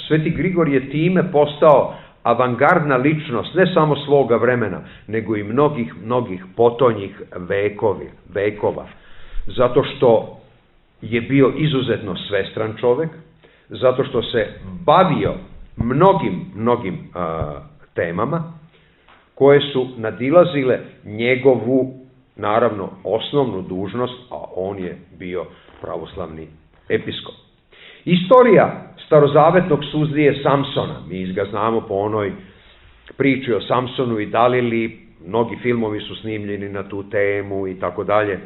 sveti Grigorije time postao avangardna ličnost, ne samo svoga vremena, nego i mnogih potonjih vekova. Zato što je bio izuzetno svestran čovek, zato što se bavio mnogim temama koje su nadilazile njegovu, naravno, osnovnu dužnost, a on je bio pravoslavni episkop. Istorija starozavetnog sudije Samsona, mi ga znamo po onoj priči o Samsonu i Dalili, mnogi filmovi su snimljeni na tu temu i tako dalje.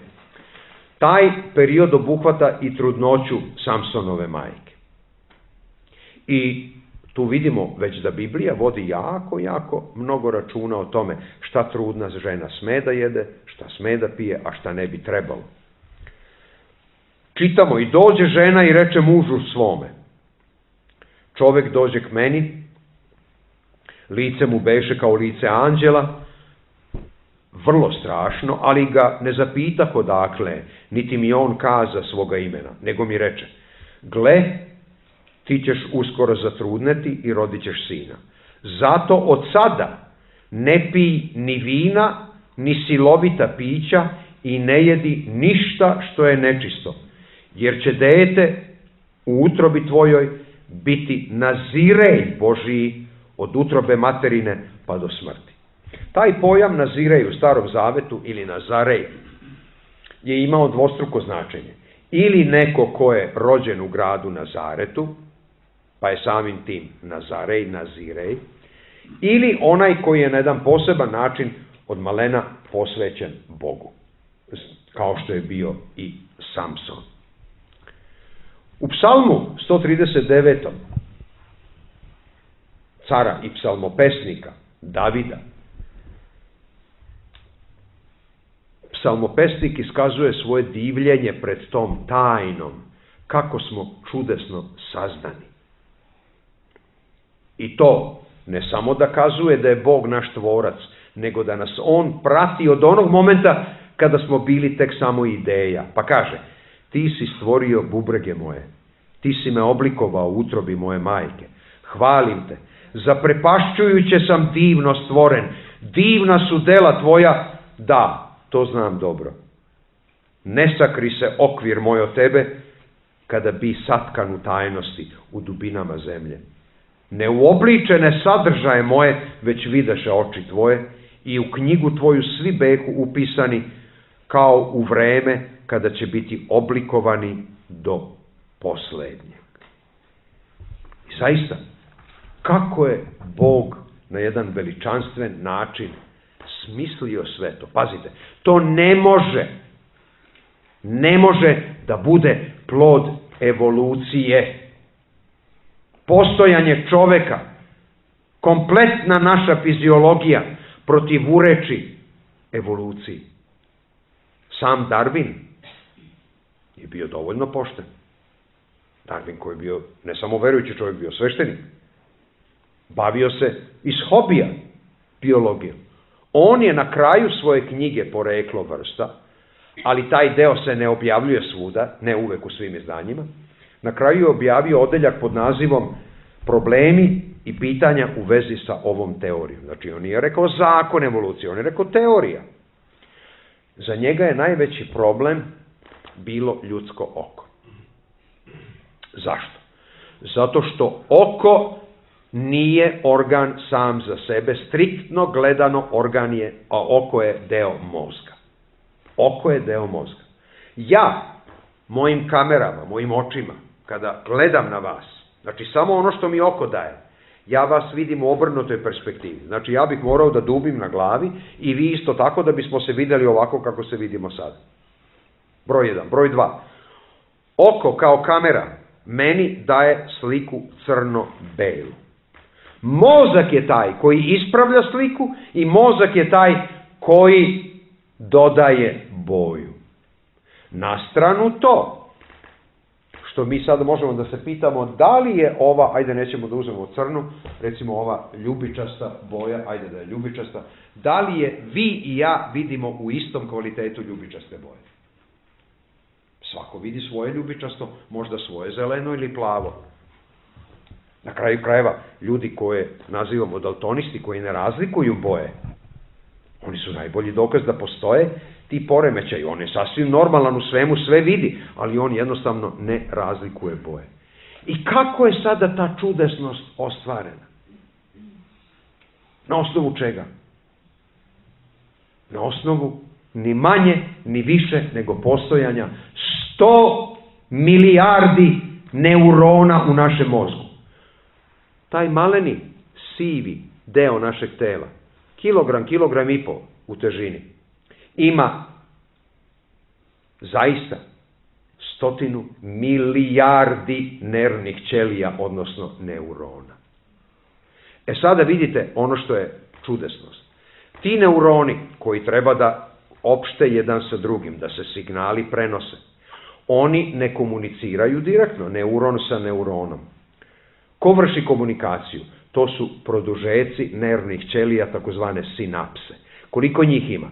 Taj period obuhvata i trudnoću Samsonove majke. I tu vidimo već da Biblija vodi jako mnogo računa o tome šta trudna žena sme da jede, šta sme da pije, a šta ne bi trebalo. Čitamo: i dođe žena i reče mužu svome: čovek dođe k meni, lice mu beše kao lice anđela, vrlo strašno, ali ga ne zapitah odakle, niti mi on kaza svoga imena, nego mi reče: gle, ti ćeš uskoro zatrudneti i rodit ćeš sina. Zato od sada ne pij ni vina, ni silovita pića i ne jedi ništa što je nečisto, jer će dete u utrobi tvojoj biti nazirej Božiji od utrobe materine pa do smrti. Taj pojam nazirej u Starom Zavetu ili nazarej je imao dvostruko značenje. Ili neko ko je rođen u gradu Nazaretu, pa je samim tim nazarej, nazirej, ili onaj koji je na jedan poseban način od malena posvećen Bogu, kao što je bio i Samson. U psalmu 139. cara i psalmopesnika Davida, psalmopesnik iskazuje svoje divljenje pred tom tajnom, kako smo čudesno sazdani. I to ne samo da kazuje da je Bog naš tvorac, nego da nas on prati od onog momenta kada smo bili tek samo ideja. Pa kaže: ti si stvorio bubrege moje, ti si me oblikovao u utrobi moje majke. Hvalim te, zaprepašćujuće sam divno stvoren, divna su dela tvoja, da, to znam dobro. Ne sakri se okvir moj od tebe, kada bi satkan u tajnosti u dubinama zemlje. Neuobličene sadržaje moje već videše oči tvoje i u knjigu tvoju svi behu upisani kao u vreme kada će biti oblikovani do poslednjeg. I zaista, kako je Bog na jedan veličanstven način smislio sve to. Pazite, to ne može da bude plod evolucije. Postojanje čoveka, kompletna naša fiziologija protivureči evoluciji. Sam Darwin je bio dovoljno pošten. Darwin koji je bio ne samo verujući čovjek, bio sveštenik. Bavio se iz hobija biologijom. On je na kraju svoje knjige Poreklo vrsta, ali taj deo se ne objavljuje svuda, ne uvek u svim izdanjima. Na kraju je objavio odeljak pod nazivom Problemi i pitanja u vezi sa ovom teorijom. Znači, on nije rekao zakon evolucije, on je rekao teorija. Za njega je najveći problem bilo ljudsko oko. Zašto? Zato što oko nije organ sam za sebe, striktno gledano organ je, a oko je deo mozga. Oko je deo mozga. Ja, mojim kamerama, mojim očima, kada gledam na vas, znači samo ono što mi oko daje, ja vas vidim u obrnutoj perspektivi. Znači ja bih morao da dubim na glavi i vi isto tako da bismo se vidjeli ovako kako se vidimo sada. Broj 1. Broj 2. Oko kao kamera meni daje sliku crno-belu. Mozak je taj koji ispravlja sliku i mozak je taj koji dodaje boju. Na stranu to, što mi sad možemo da se pitamo da li je ova, ajde nećemo da uzmemo crnu, recimo ova ljubičasta boja, ajde da je ljubičasta, da li je vi i ja vidimo u istom kvalitetu ljubičaste boje? Svako vidi svoje ljubičasto, možda svoje zeleno ili plavo. Na kraju krajeva, ljudi koje nazivamo daltonisti, koji ne razlikuju boje, oni su najbolji dokaz da postoje ti poremećaji. On je sasvim normalan u svemu, sve vidi, ali on jednostavno ne razlikuje boje. I kako je sada ta čudesnost ostvarena? Na osnovu čega? Na osnovu ni manje, ni više nego postojanja 100 milijardi neurona u našem mozgu. Taj maleni, sivi deo našeg tela, kilogram i pol u težini, ima zaista 100 milijardi nervnih ćelija, odnosno neurona. E sada vidite ono što je čudesnost. Ti neuroni koji treba da opšte jedan sa drugim, da se signali prenose, oni ne komuniciraju direktno, neuron sa neuronom. Ko vrši komunikaciju? To su produžeci nervnih ćelija, takozvane sinapse. Koliko njih ima?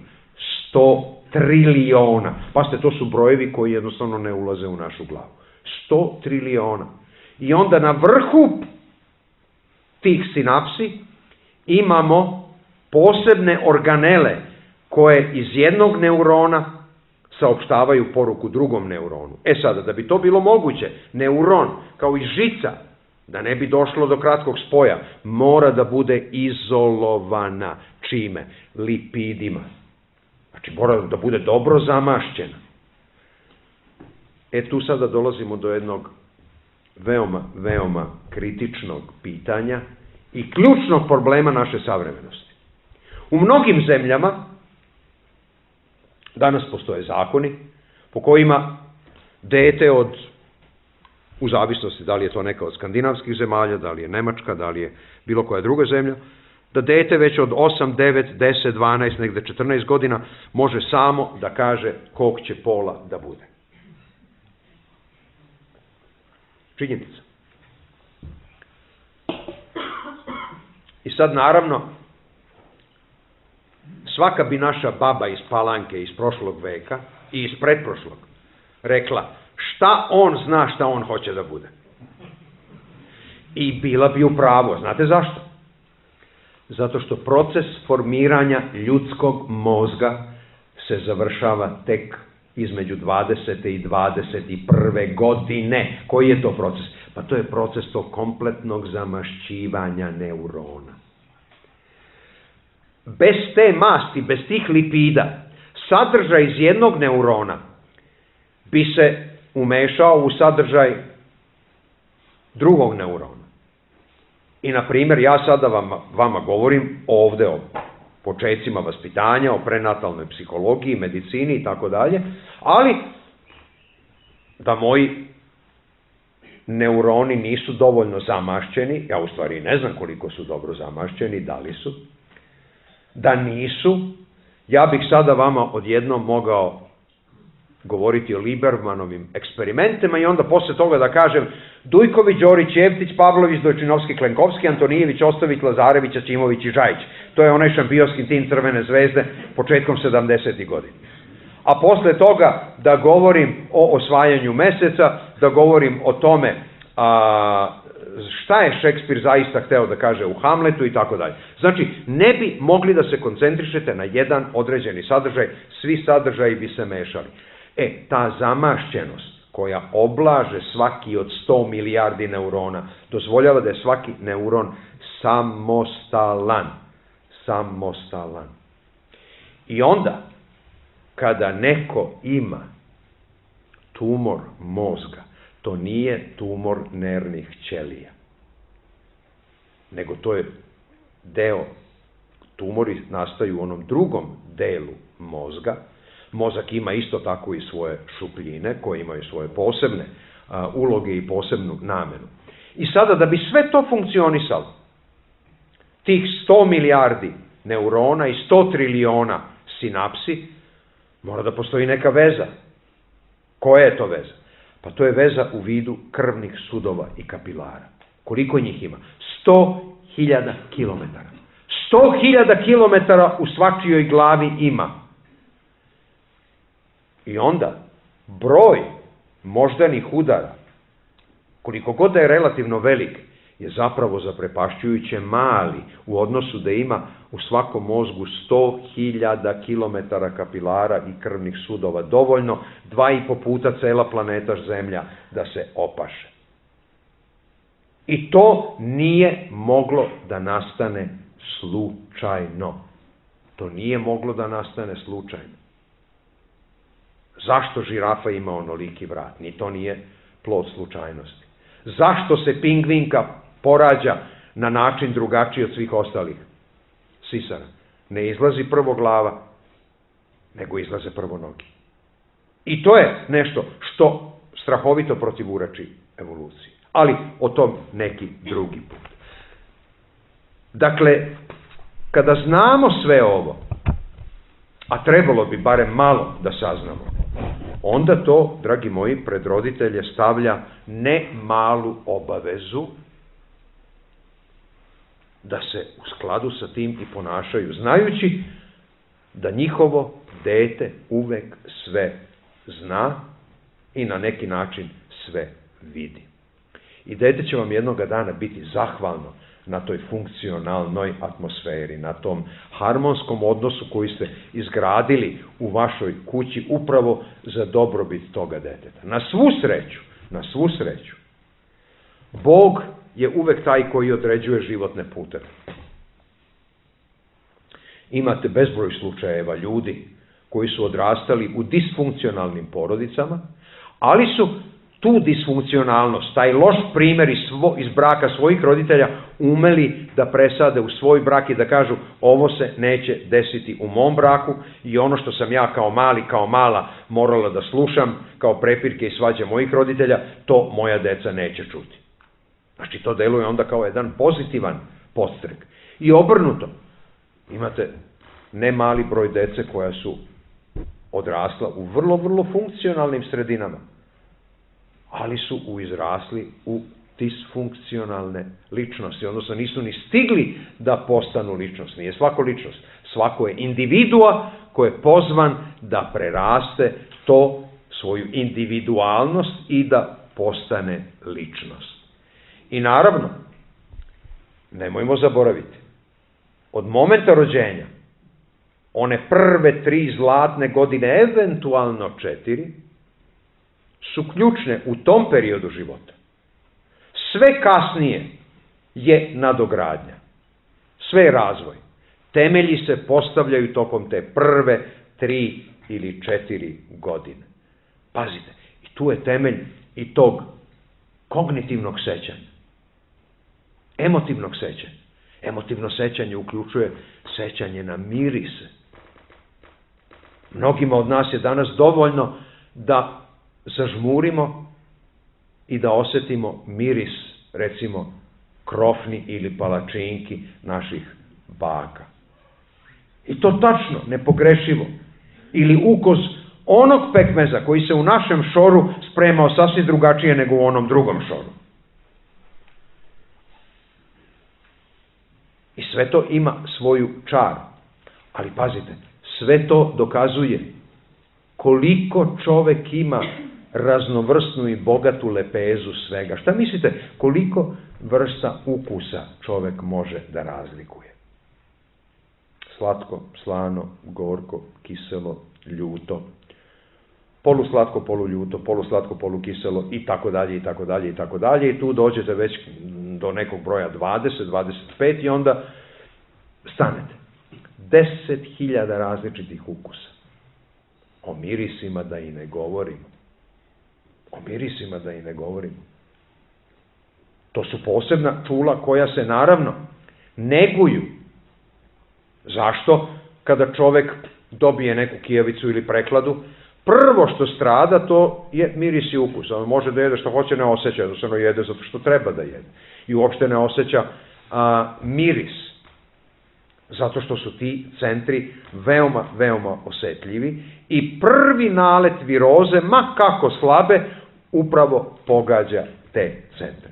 100 triliona. Pazite, to su brojevi koji jednostavno ne ulaze u našu glavu. 100 triliona. I onda na vrhu tih sinapsi imamo posebne organele koje iz jednog neurona saopštavaju poruku drugom neuronu. E sada, da bi to bilo moguće, neuron kao i žica, da ne bi došlo do kratkog spoja, mora da bude izolovana. Čime? Lipidima. Znači mora da bude dobro zamašćena. E tu sada dolazimo do jednog veoma kritičnog pitanja i ključnog problema naše savremenosti. U mnogim zemljama danas postoje zakoni po kojima dete u zavisnosti da li je to neka od skandinavskih zemalja, da li je Nemačka, da li je bilo koja druga zemlja, da dete već od 8, 9, 10, 12, negde 14 godina može samo da kaže kog će pola da bude. Činjenica. I sad naravno, svaka bi naša baba iz Palanke iz prošlog veka i iz pretprošlog rekla šta on zna šta on hoće da bude. I bila bi u pravu. Znate zašto? Zato što proces formiranja ljudskog mozga se završava tek između 20. i 21. godine. Koji je to proces? Pa to je proces tog kompletnog zamašćivanja neurona. Bez te masti, bez tih lipida, sadržaj iz jednog neurona bi se umešao u sadržaj drugog neurona. I, na primjer, ja sada vama govorim ovde ovo. počecima vaspitanja, o prenatalnoj psihologiji, medicini i tako dalje, ali da moji neuroni nisu dovoljno zamašćeni, ja u stvari ne znam koliko su dobro zamašćeni, da li su, da nisu, ja bih sada vama odjednom mogao govoriti o Libermanovim eksperimentima i onda posle toga da kažem Dujković, Đorić, Jevtić, Pavlović, Dojčinovski, Klenkovski, Antonijević, Ostović, Lazarević, Ćimović i Žajić. To je onaj šampionski tim Crvene zvezde početkom 70. godina. A posle toga da govorim o osvajanju meseca, da govorim o tome šta je Šekspir zaista hteo da kaže u Hamletu i tako dalje. Znači, ne bi mogli da se koncentrišete na jedan određeni sadržaj, svi sadržaji bi se mešali. Ta zamašćenost koja oblaže svaki od 100 milijardi neurona, dozvoljava da je svaki neuron samostalan. Samostalan. I onda, kada neko ima tumor mozga, to nije tumor nervnih ćelija, nego to je deo, tumori nastaju u onom drugom delu mozga. Mozak ima isto tako i svoje šupljine koje imaju svoje posebne uloge i posebnu namenu. I sada da bi sve to funkcionisalo, tih 100 milijardi neurona i 100 triliona sinapsi, mora da postoji neka veza. Koja je to veza? Pa to je veza u vidu krvnih sudova i kapilara. Koliko njih ima? 100.000 kilometara. 100.000 kilometara u svačijoj glavi ima. I onda broj moždanih udara, koliko god da je relativno velik, je zapravo zaprepašćujuće mali u odnosu da ima u svakom mozgu 100.000 kilometara kapilara i krvnih sudova, dovoljno 2,5 puta cela planeta Zemlja da se opaše. I to nije moglo da nastane slučajno. To nije moglo da nastane slučajno. Zašto žirafa ima onoliki vrat? Ni to nije plod slučajnosti. Zašto se pingvinka porađa na način drugačiji od svih ostalih sisara? Ne izlazi prvo glava, nego izlaze prvo noge. I to je nešto što strahovito protivurači evoluciji. Ali o tom neki drugi put. Dakle, kada znamo sve ovo, a trebalo bi barem malo da saznamo, onda to, dragi moji, pred roditelje stavlja ne malu obavezu da se u skladu sa tim i ponašaju, znajući da njihovo dete uvek sve zna i na neki način sve vidi. I dete će vam jednoga dana biti zahvalno na toj funkcionalnoj atmosferi, na tom harmonskom odnosu koji ste izgradili u vašoj kući upravo za dobrobit toga deteta. Na svu sreću, Bog je uvek taj koji određuje životne puteve. Imate bezbroj slučajeva ljudi koji su odrastali u disfunkcionalnim porodicama, ali su tu disfunkcionalnost, taj loš primjer iz braka svojih roditelja umeli da presade u svoj brak i da kažu ovo se neće desiti u mom braku i ono što sam ja kao mali, kao mala morala da slušam kao prepirke i svađe mojih roditelja, to moja deca neće čuti. Znači to deluje onda kao jedan pozitivan podstrek. I obrnuto, imate ne mali broj dece koja su odrasla u vrlo, vrlo funkcionalnim sredinama, ali su izrasli u disfunkcionalne ličnosti, odnosno nisu ni stigli da postanu ličnost. Nije svako ličnost, svako je individua koji je pozvan da preraste to svoju individualnost i da postane ličnost. I naravno, nemojmo zaboraviti, od momenta rođenja, one prve 3 zlatne godine, eventualno 4, su ključne u tom periodu života. Sve kasnije je nadogradnja. Sve je razvoj. Temelji se postavljaju tokom te prve 3 ili 4 godine. Pazite, i tu je temelj i tog kognitivnog sećanja, emotivnog sećanja. Emotivno sećanje uključuje sećanje na mirise. Mnogima od nas je danas dovoljno da zažmurimo i da osetimo miris, recimo, krofni ili palačinki naših baka. I to tačno, nepogrešivo. Ili ukus onog pekmeza koji se u našem šoru spremao sasvim drugačije nego u onom drugom šoru. I sve to ima svoju čar. Ali pazite, sve to dokazuje koliko čovek ima raznovrsnu i bogatu lepezu svega. Šta mislite, koliko vrsta ukusa čovek može da razlikuje? Slatko, slano, gorko, kiselo, ljuto, poluslatko, poluljuto, poluslatko, polukiselo i tako dalje, i tako dalje, i tako dalje. I tu dođete već do nekog broja 20, 25 i onda stanete. 10.000 različitih ukusa. O mirisima da i ne govorimo. O mirisima da i ne govorimo. To su posebna čula koja se naravno neguju. Zašto? Kada čovek dobije neku kijavicu ili prekladu, prvo što strada to je miris i ukus. On može da jede što hoće, ne osjeća, jednostavno jede zato što treba da jede. I uopšte ne osjeća miris. Zato što su ti centri veoma, veoma osetljivi i prvi nalet viroze, ma kako slabe, upravo pogađa te centre.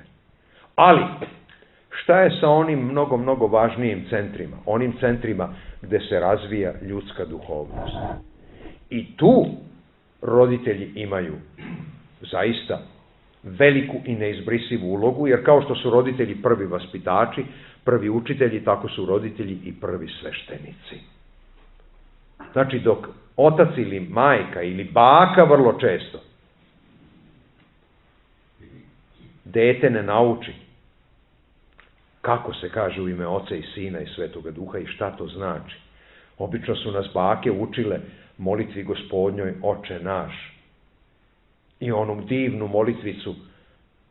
Ali, šta je sa onim mnogo, mnogo važnijim centrima? Onim centrima gde se razvija ljudska duhovnost. I tu roditelji imaju zaista veliku i neizbrisivu ulogu, jer kao što su roditelji prvi vaspitači, prvi učitelji, tako su roditelji i prvi sveštenici. Znači, dok otac ili majka ili baka vrlo često dete ne nauči kako se kaže u ime Oca i Sina i Svetoga Duha i šta to znači. Obično su nas bake učile molitvi Gospodnjoj Oče naš. I onu divnu molitvicu,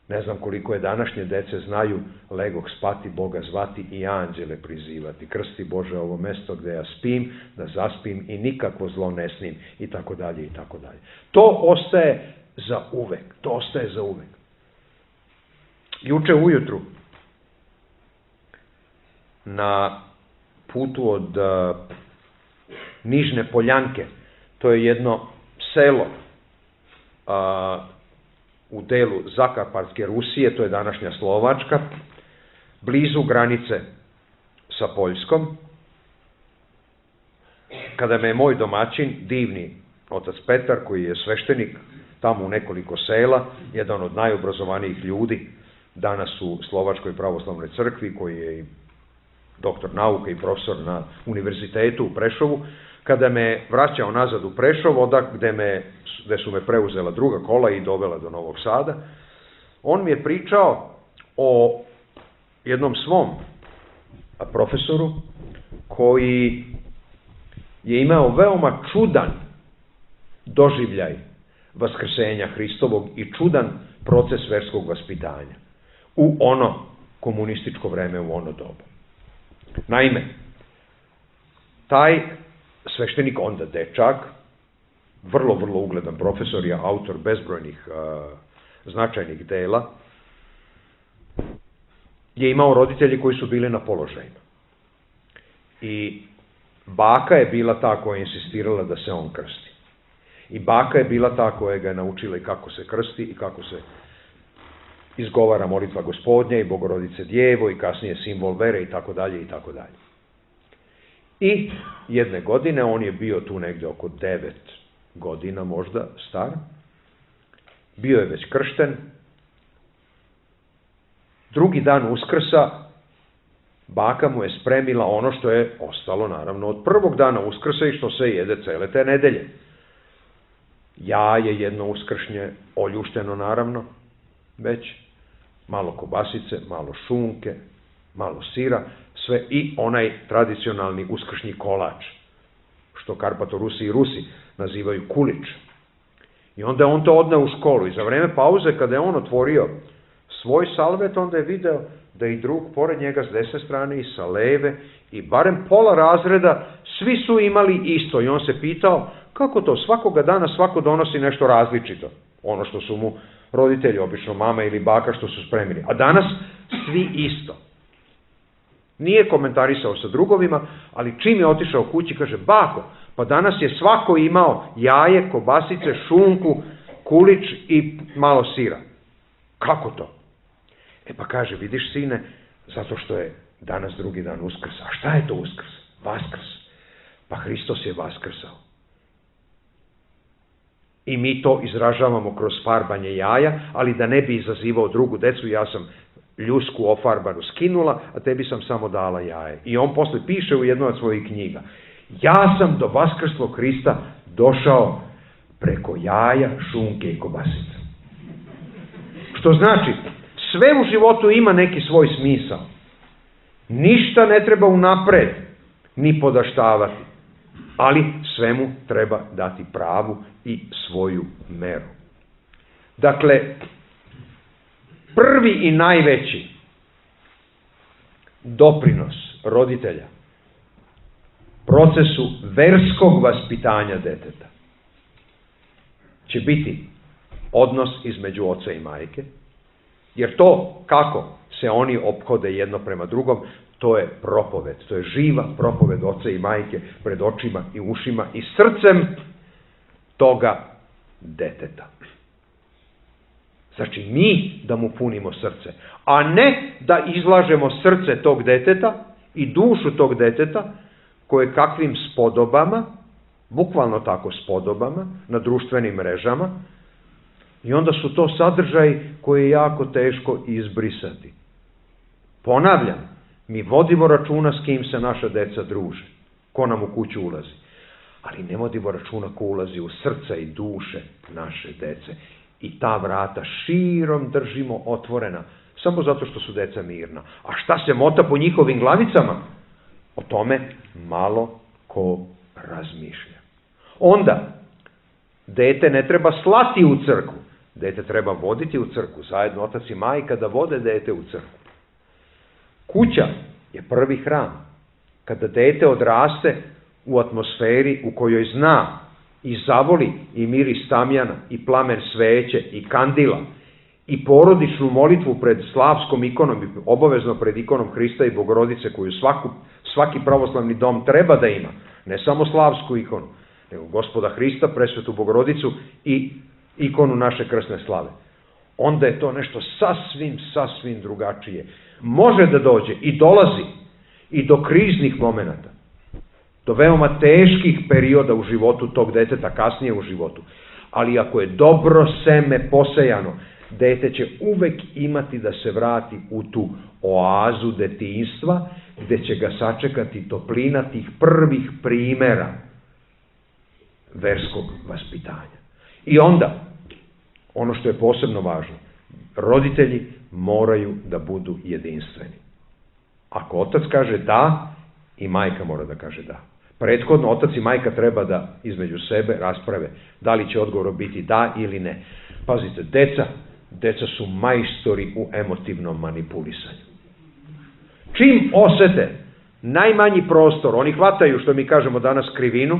ne znam koliko je današnje dece znaju, legoh spati, Boga zvati i anđele prizivati. Krsti Bože ovo mesto gde ja spim, da zaspim i nikakvo zlo ne snim, i tako dalje, i tako dalje. To ostaje za uvek, to ostaje za uvek. Juče ujutru, na putu od Nižne Poljanke, to je jedno selo u delu Zakarpatske Rusije, to je današnja Slovačka, blizu granice sa Poljskom, kada me je moj domaćin, divni otac Petar, koji je sveštenik tamo u nekoliko sela, jedan od najobrazovanijih ljudi danas u Slovačkoj pravoslavnoj crkvi, koji je i doktor nauke i profesor na univerzitetu u Prešovu, kada me vraćao nazad u Prešov, gde su me preuzela druga kola i dovela do Novog Sada, on mi je pričao o jednom svom profesoru koji je imao veoma čudan doživljaj vaskrsenja Hristovog i čudan proces verskog vaspitanja u ono komunističko vreme, u ono doba. Naime, taj sveštenik, onda dečak, vrlo, vrlo ugledan profesor, je autor bezbrojnih značajnih dela, je imao roditelji koji su bili na položajima. I baka je bila ta koja je insistirala da se on krsti. I baka je bila ta koja ga je naučila i kako se krsti i kako se izgovara molitva Gospodnja i Bogorodice Djevo i kasnije simbol vere i tako dalje i tako dalje. I jedne godine, on je bio tu negde oko 9 godina možda star, bio je već kršten, drugi dan Uskrsa baka mu je spremila ono što je ostalo naravno od prvog dana Uskrsa i što se jede cele te nedelje. Jaje jedno uskršnje, oljušteno naravno, već malo kobasice, malo šunke, malo sira, sve i onaj tradicionalni uskršnji kolač, što Karpatorusi i Rusi nazivaju kulič. I onda on to odneo u školu i za vreme pauze kada je on otvorio svoj salvet, onda je video da i drug pored njega s desne strane i sa leve i barem pola razreda svi su imali isto i on se pitao kako to svakoga dana svako donosi nešto različito, ono što su mu roditelji, obično mama ili baka što su spremili, a danas svi isto. Nije komentarisao sa drugovima, ali čim je otišao kući kaže, bako, pa danas je svako imao jaje, kobasice, šunku, kulić i malo sira. Kako to? Pa kaže, vidiš sine, zato što je danas drugi dan Uskrs. A šta je to Uskrs? Vaskrs. Pa Hristos je vaskrsao. I mi to izražavamo kroz farbanje jaja, ali da ne bi izazivao drugu decu, ja sam ljusku ofarbanu skinula, a tebi sam samo dala jaje. I on posle piše u jednoj od svojih knjiga, ja sam do vaskrslog Hrista došao preko jaja, šunke i kobasica. Što znači, sve u životu ima neki svoj smisao. Ništa ne treba unapred ni podaštavati, ali svemu treba dati pravu i svoju meru. Dakle, prvi i najveći doprinos roditelja procesu verskog vaspitanja deteta će biti odnos između oca i majke, jer to kako se oni ophode jedno prema drugom, to je propoved, to je živa propoved oca i majke pred očima i ušima i srcem toga deteta. Znači mi da mu punimo srce, a ne da izlažemo srce tog deteta i dušu tog deteta koje kakvim spodobama, bukvalno tako spodobama, na društvenim mrežama, i onda su to sadržaji koje je jako teško izbrisati. Ponavljam, mi vodimo računa s kim se naša deca druže, ko nam u kuću ulazi, ali ne vodimo računa ko ulazi u srca i duše naše dece. I ta vrata širom držimo otvorena, samo zato što su deca mirna. A šta se mota po njihovim glavicama? O tome malo ko razmišlja. Onda, dete ne treba slati u crkvu, dete treba voditi u crkvu, zajedno otac i majka da vode dete u crkvu. Kuća je prvi hram. Kada dete odraste u atmosferi u kojoj zna i zavoli i miris tamjana, i plamen sveće, i kandila, i porodičnu molitvu pred slavskom ikonom, i obavezno pred ikonom Hrista i Bogorodice, koju svaki pravoslavni dom treba da ima, ne samo slavsku ikonu, nego Gospoda Hrista, presvetu Bogorodicu i ikonu naše krsne slave. Onda je to nešto sasvim drugačije. Može da dođe i dolazi i do kriznih momenata, do veoma teških perioda u životu tog deteta, kasnije u životu. Ali ako je dobro seme posejano, dete će uvek imati da se vrati u tu oazu detinjstva, gde će ga sačekati toplina tih prvih primera verskog vaspitanja. I onda, ono što je posebno važno, roditelji moraju da budu jedinstveni. Ako otac kaže da, i majka mora da kaže da. Prethodno, otac i majka treba da između sebe rasprave da li će odgovor biti da ili ne. Pazite, deca su majstori u emotivnom manipulisanju. Čim osete najmanji prostor, oni hvataju, što mi kažemo danas, krivinu,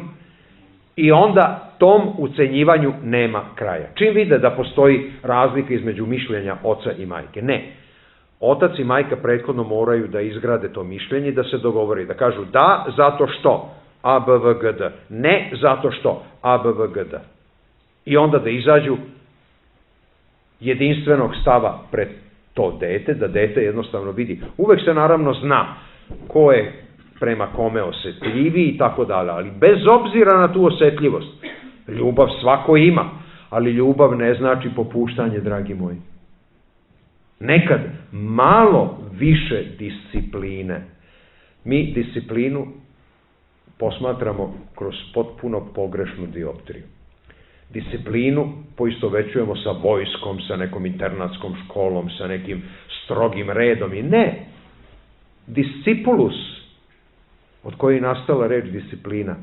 i onda tom ucenjivanju nema kraja. Čim vide da postoji razlika između mišljenja oca i majke? Ne. Otac i majka prethodno moraju da izgrade to mišljenje i da se dogovori, da kažu da zato što A, B, V, G, D, ne zato što A, B, V, G, D. I onda da izađu jedinstvenog stava pred to dete, da dete jednostavno vidi. Uvek se naravno zna ko je prema kome osetljiviji i tako dalje, ali bez obzira na tu osetljivost, ljubav svako ima, ali ljubav ne znači popuštanje, dragi moji. Nekad malo više discipline. Mi disciplinu posmatramo kroz potpuno pogrešnu dioptriju. Disciplinu poistovećujemo sa vojskom, sa nekom internatskom školom, sa nekim strogim redom i ne. Discipulus, od koje je nastala reč disciplina,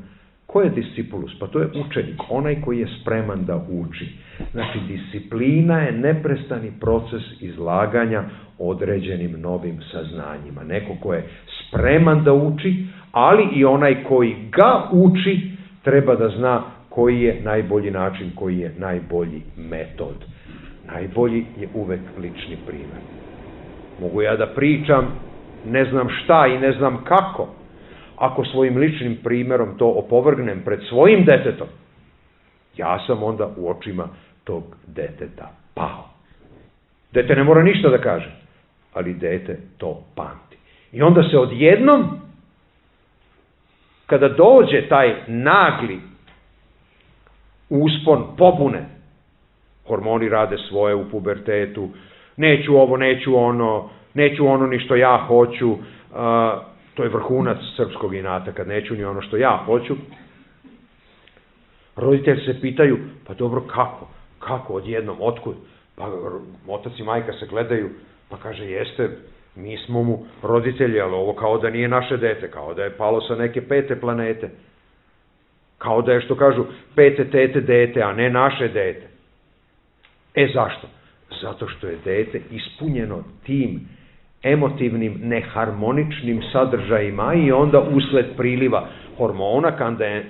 Ko je discipulus? Pa to je učenik, onaj koji je spreman da uči. Znači, disciplina je neprestani proces izlaganja određenim novim saznanjima. Neko ko je spreman da uči, ali i onaj koji ga uči treba da zna koji je najbolji način, koji je najbolji metod. Najbolji je uvek lični primjer. Mogu ja da pričam, ne znam šta i ne znam kako, ako svojim ličnim primjerom to opovrgnem pred svojim detetom, ja sam onda u očima tog deteta pao. Dete ne mora ništa da kaže, ali dete to pamti. I onda se odjednom, kada dođe taj nagli uspon pobune, hormoni rade svoje u pubertetu, neću ovo, neću ono ni što ja hoću, to je vrhunac srpskog inata, kad neću ni ono što ja hoću. Roditelji se pitaju, pa dobro, kako odjednom, otkud? Pa otac i majka se gledaju, pa kaže, jeste, mi smo mu roditelji, ali ovo kao da nije naše dete, kao da je palo sa neke 5. planete. Kao da je, što kažu, 5. tete dete, a ne naše dete. Zašto? Zato što je dete ispunjeno tim emotivnim, neharmoničnim sadržajima i onda usled priliva hormona,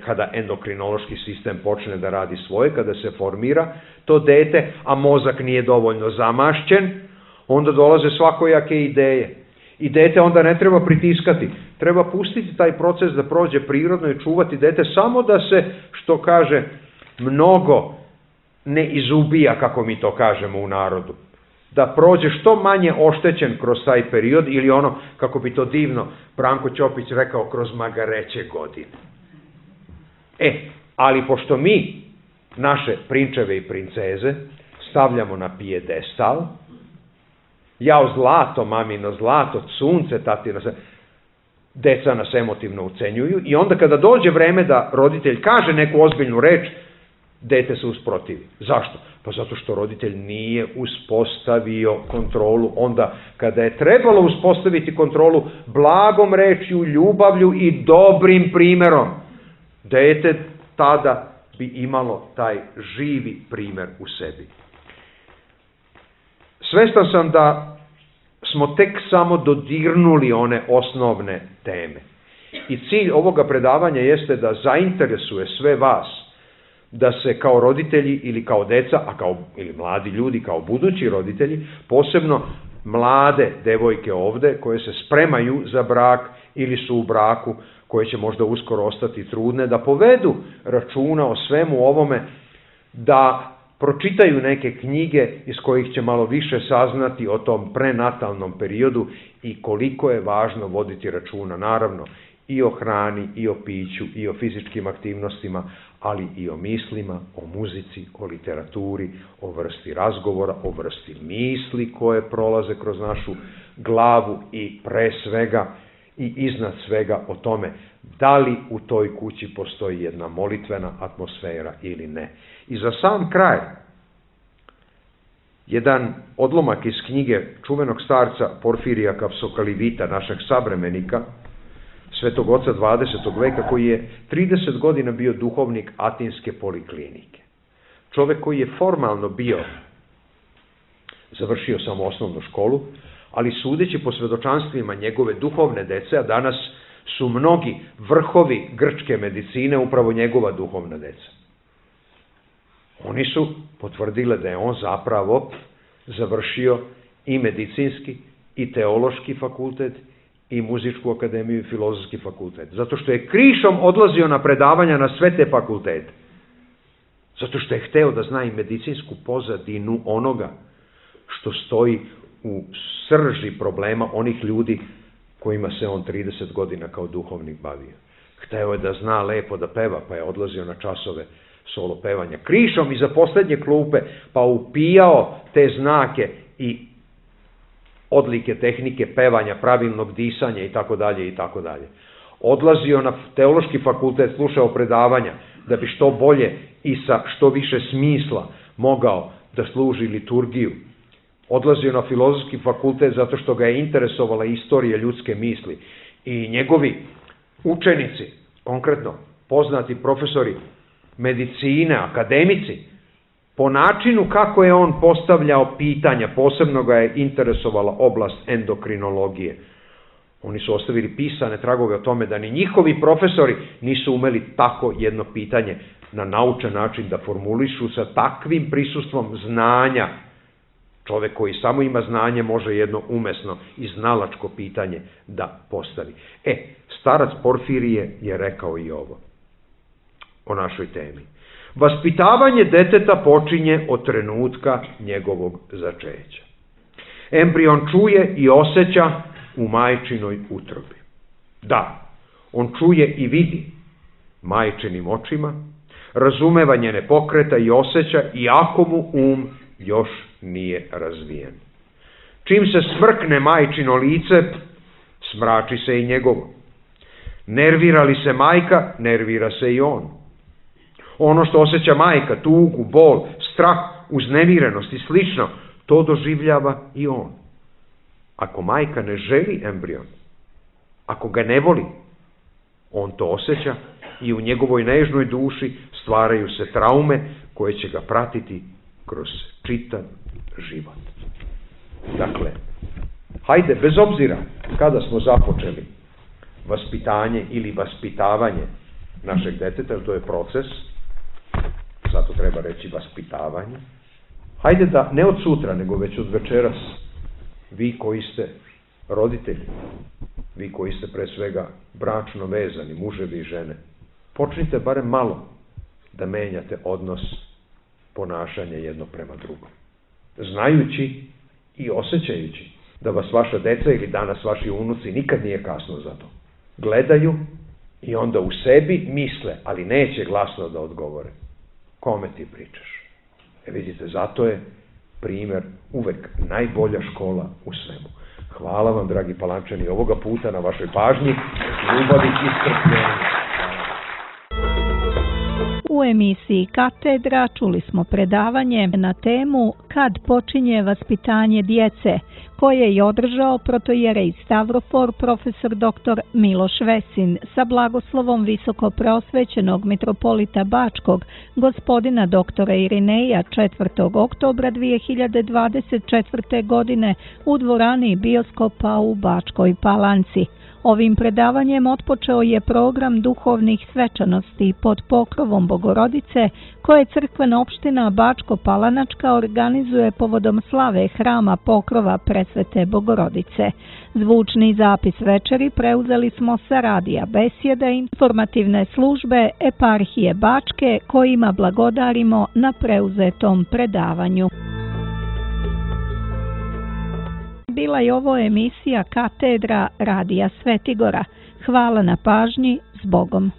kada endokrinološki sistem počne da radi svoje, kada se formira to dete, a mozak nije dovoljno zamašćen, onda dolaze svakojake ideje. I dete onda ne treba pritiskati. Treba pustiti taj proces da prođe prirodno i čuvati dete samo da se, što kaže, mnogo ne izubija, kako mi to kažemo u narodu. Da prođe što manje oštećen kroz taj period ili ono, kako bi to divno Branko Ćopić rekao, kroz magareće godine. Ali pošto mi naše prinčeve i princeze stavljamo na pijedestal, jao zlato, mamino zlato, sunce, tatino, deca nas emotivno ucenjuju i onda kada dođe vreme da roditelj kaže neku ozbiljnu reč, dete se usprotivi. Zašto? Pa zato što roditelj nije uspostavio kontrolu. Onda kada je trebalo uspostaviti kontrolu blagom rečju, ljubavlju i dobrim primjerom, dete tada bi imalo taj živi primjer u sebi. Svestan sam da smo tek samo dodirnuli one osnovne teme. I cilj ovoga predavanja jeste da zainteresuje sve vas da se kao roditelji ili kao deca, ili mladi ljudi kao budući roditelji, posebno mlade devojke ovde koje se spremaju za brak ili su u braku, koje će možda uskoro ostati trudne, da povedu računa o svemu ovome, da pročitaju neke knjige iz kojih će malo više saznati o tom prenatalnom periodu i koliko je važno voditi računa, naravno, i o hrani, i o piću, i o fizičkim aktivnostima, ali i o mislima, o muzici, o literaturi, o vrsti razgovora, o vrsti misli koje prolaze kroz našu glavu i pre svega i iznad svega o tome da li u toj kući postoji jedna molitvena atmosfera ili ne. I za sam kraj, jedan odlomak iz knjige čuvenog starca Porfirija Kapsokalivita, našeg savremenika, svetog oca 20. veka, koji je 30 godina bio duhovnik Atinske poliklinike. Čovek koji je formalno bio, završio samo osnovnu školu, ali sudeći po svedočanstvima njegove duhovne dece, a danas su mnogi vrhovi grčke medicine upravo njegova duhovna deca. Oni su potvrdile da je on zapravo završio i medicinski, i teološki fakultet, i muzičku akademiju i filozofski fakultet. Zato što je krišom odlazio na predavanja na sve te fakultete. Zato što je hteo da zna i medicinsku pozadinu onoga što stoji u srži problema onih ljudi kojima se on 30 godina kao duhovnik bavio. Hteo je da zna lepo da peva, pa je odlazio na časove solo pevanja. Krišom iza poslednje klupe, pa upijao te znake i odlike tehnike pevanja, pravilnog disanja i tako dalje i tako dalje. Odlazio na teološki fakultet, slušao predavanja da bi što bolje i sa što više smisla mogao da služi liturgiju. Odlazio na filozofski fakultet zato što ga je interesovala istorija ljudske misli. I njegovi učenici, konkretno poznati profesori medicine, akademici, po načinu kako je on postavljao pitanja, posebno ga je interesovala oblast endokrinologije. Oni su ostavili pisane tragove o tome da ni njihovi profesori nisu umeli tako jedno pitanje na naučan način da formulišu sa takvim prisustvom znanja. Čovek koji samo ima znanje može jedno umesno i znalačko pitanje da postavi. Starac Porfirije je rekao i ovo o našoj temi. Vaspitavanje deteta počinje od trenutka njegovog začeća. Embrion čuje i osjeća u majčinoj utrobi. Da, on čuje i vidi majčinim očima, razumeva njene pokreta i osjeća, iako mu još nije razvijen. Čim se smrkne majčino lice, smrači se i njegovo. Nervira li se majka, nervira se i on. Ono što osjeća majka, tugu, bol, strah, uznemirenost i slično, to doživljava i on. Ako majka ne želi embrion, ako ga ne voli, on to osjeća i u njegovoj nežnoj duši stvaraju se traume koje će ga pratiti kroz čitav život. Dakle, hajde, bez obzira kada smo započeli vaspitanje ili vaspitavanje našeg deteta, to je proces, zato treba reći vaspitavanje, hajde da ne od sutra, nego već od večeras, vi koji ste roditelji, vi koji ste pre svega bračno vezani, muževi i žene, počnite barem malo da menjate odnos ponašanja jedno prema drugom. Znajući i osjećajući da vas vaša deca ili danas vaši unuci nikad nije kasno za to. Gledaju i onda u sebi misle, ali neće glasno da odgovore. Kome ti pričaš? Vidite, zato je primer uvek najbolja škola u svemu. Hvala vam, dragi Palančani, ovoga puta na vašoj pažnji, ljubavi i strpljenju. U emisiji Katedra čuli smo predavanje na temu Kad počinje vaspitanje djece, koje je održao protojerej Stavrofor profesor dr. Miloš Vesin sa blagoslovom visokopreosvećenog mitropolita Bačkog, gospodina doktora Irineja 4. oktobra 2024. godine u dvorani bioskopa u Bačkoj Palanci. Ovim predavanjem otpočeo je program duhovnih svečanosti pod pokrovom Bogorodice koje crkvena opština Bačko-Palanačka organizuje povodom slave hrama pokrova Presvete Bogorodice. Zvučni zapis večeri preuzeli smo sa radija Besjede informativne službe Eparhije Bačke kojima blagodarimo na preuzetom predavanju. Bila je ovo emisija Katedra radija Svetigora. Hvala na pažnji, s Bogom.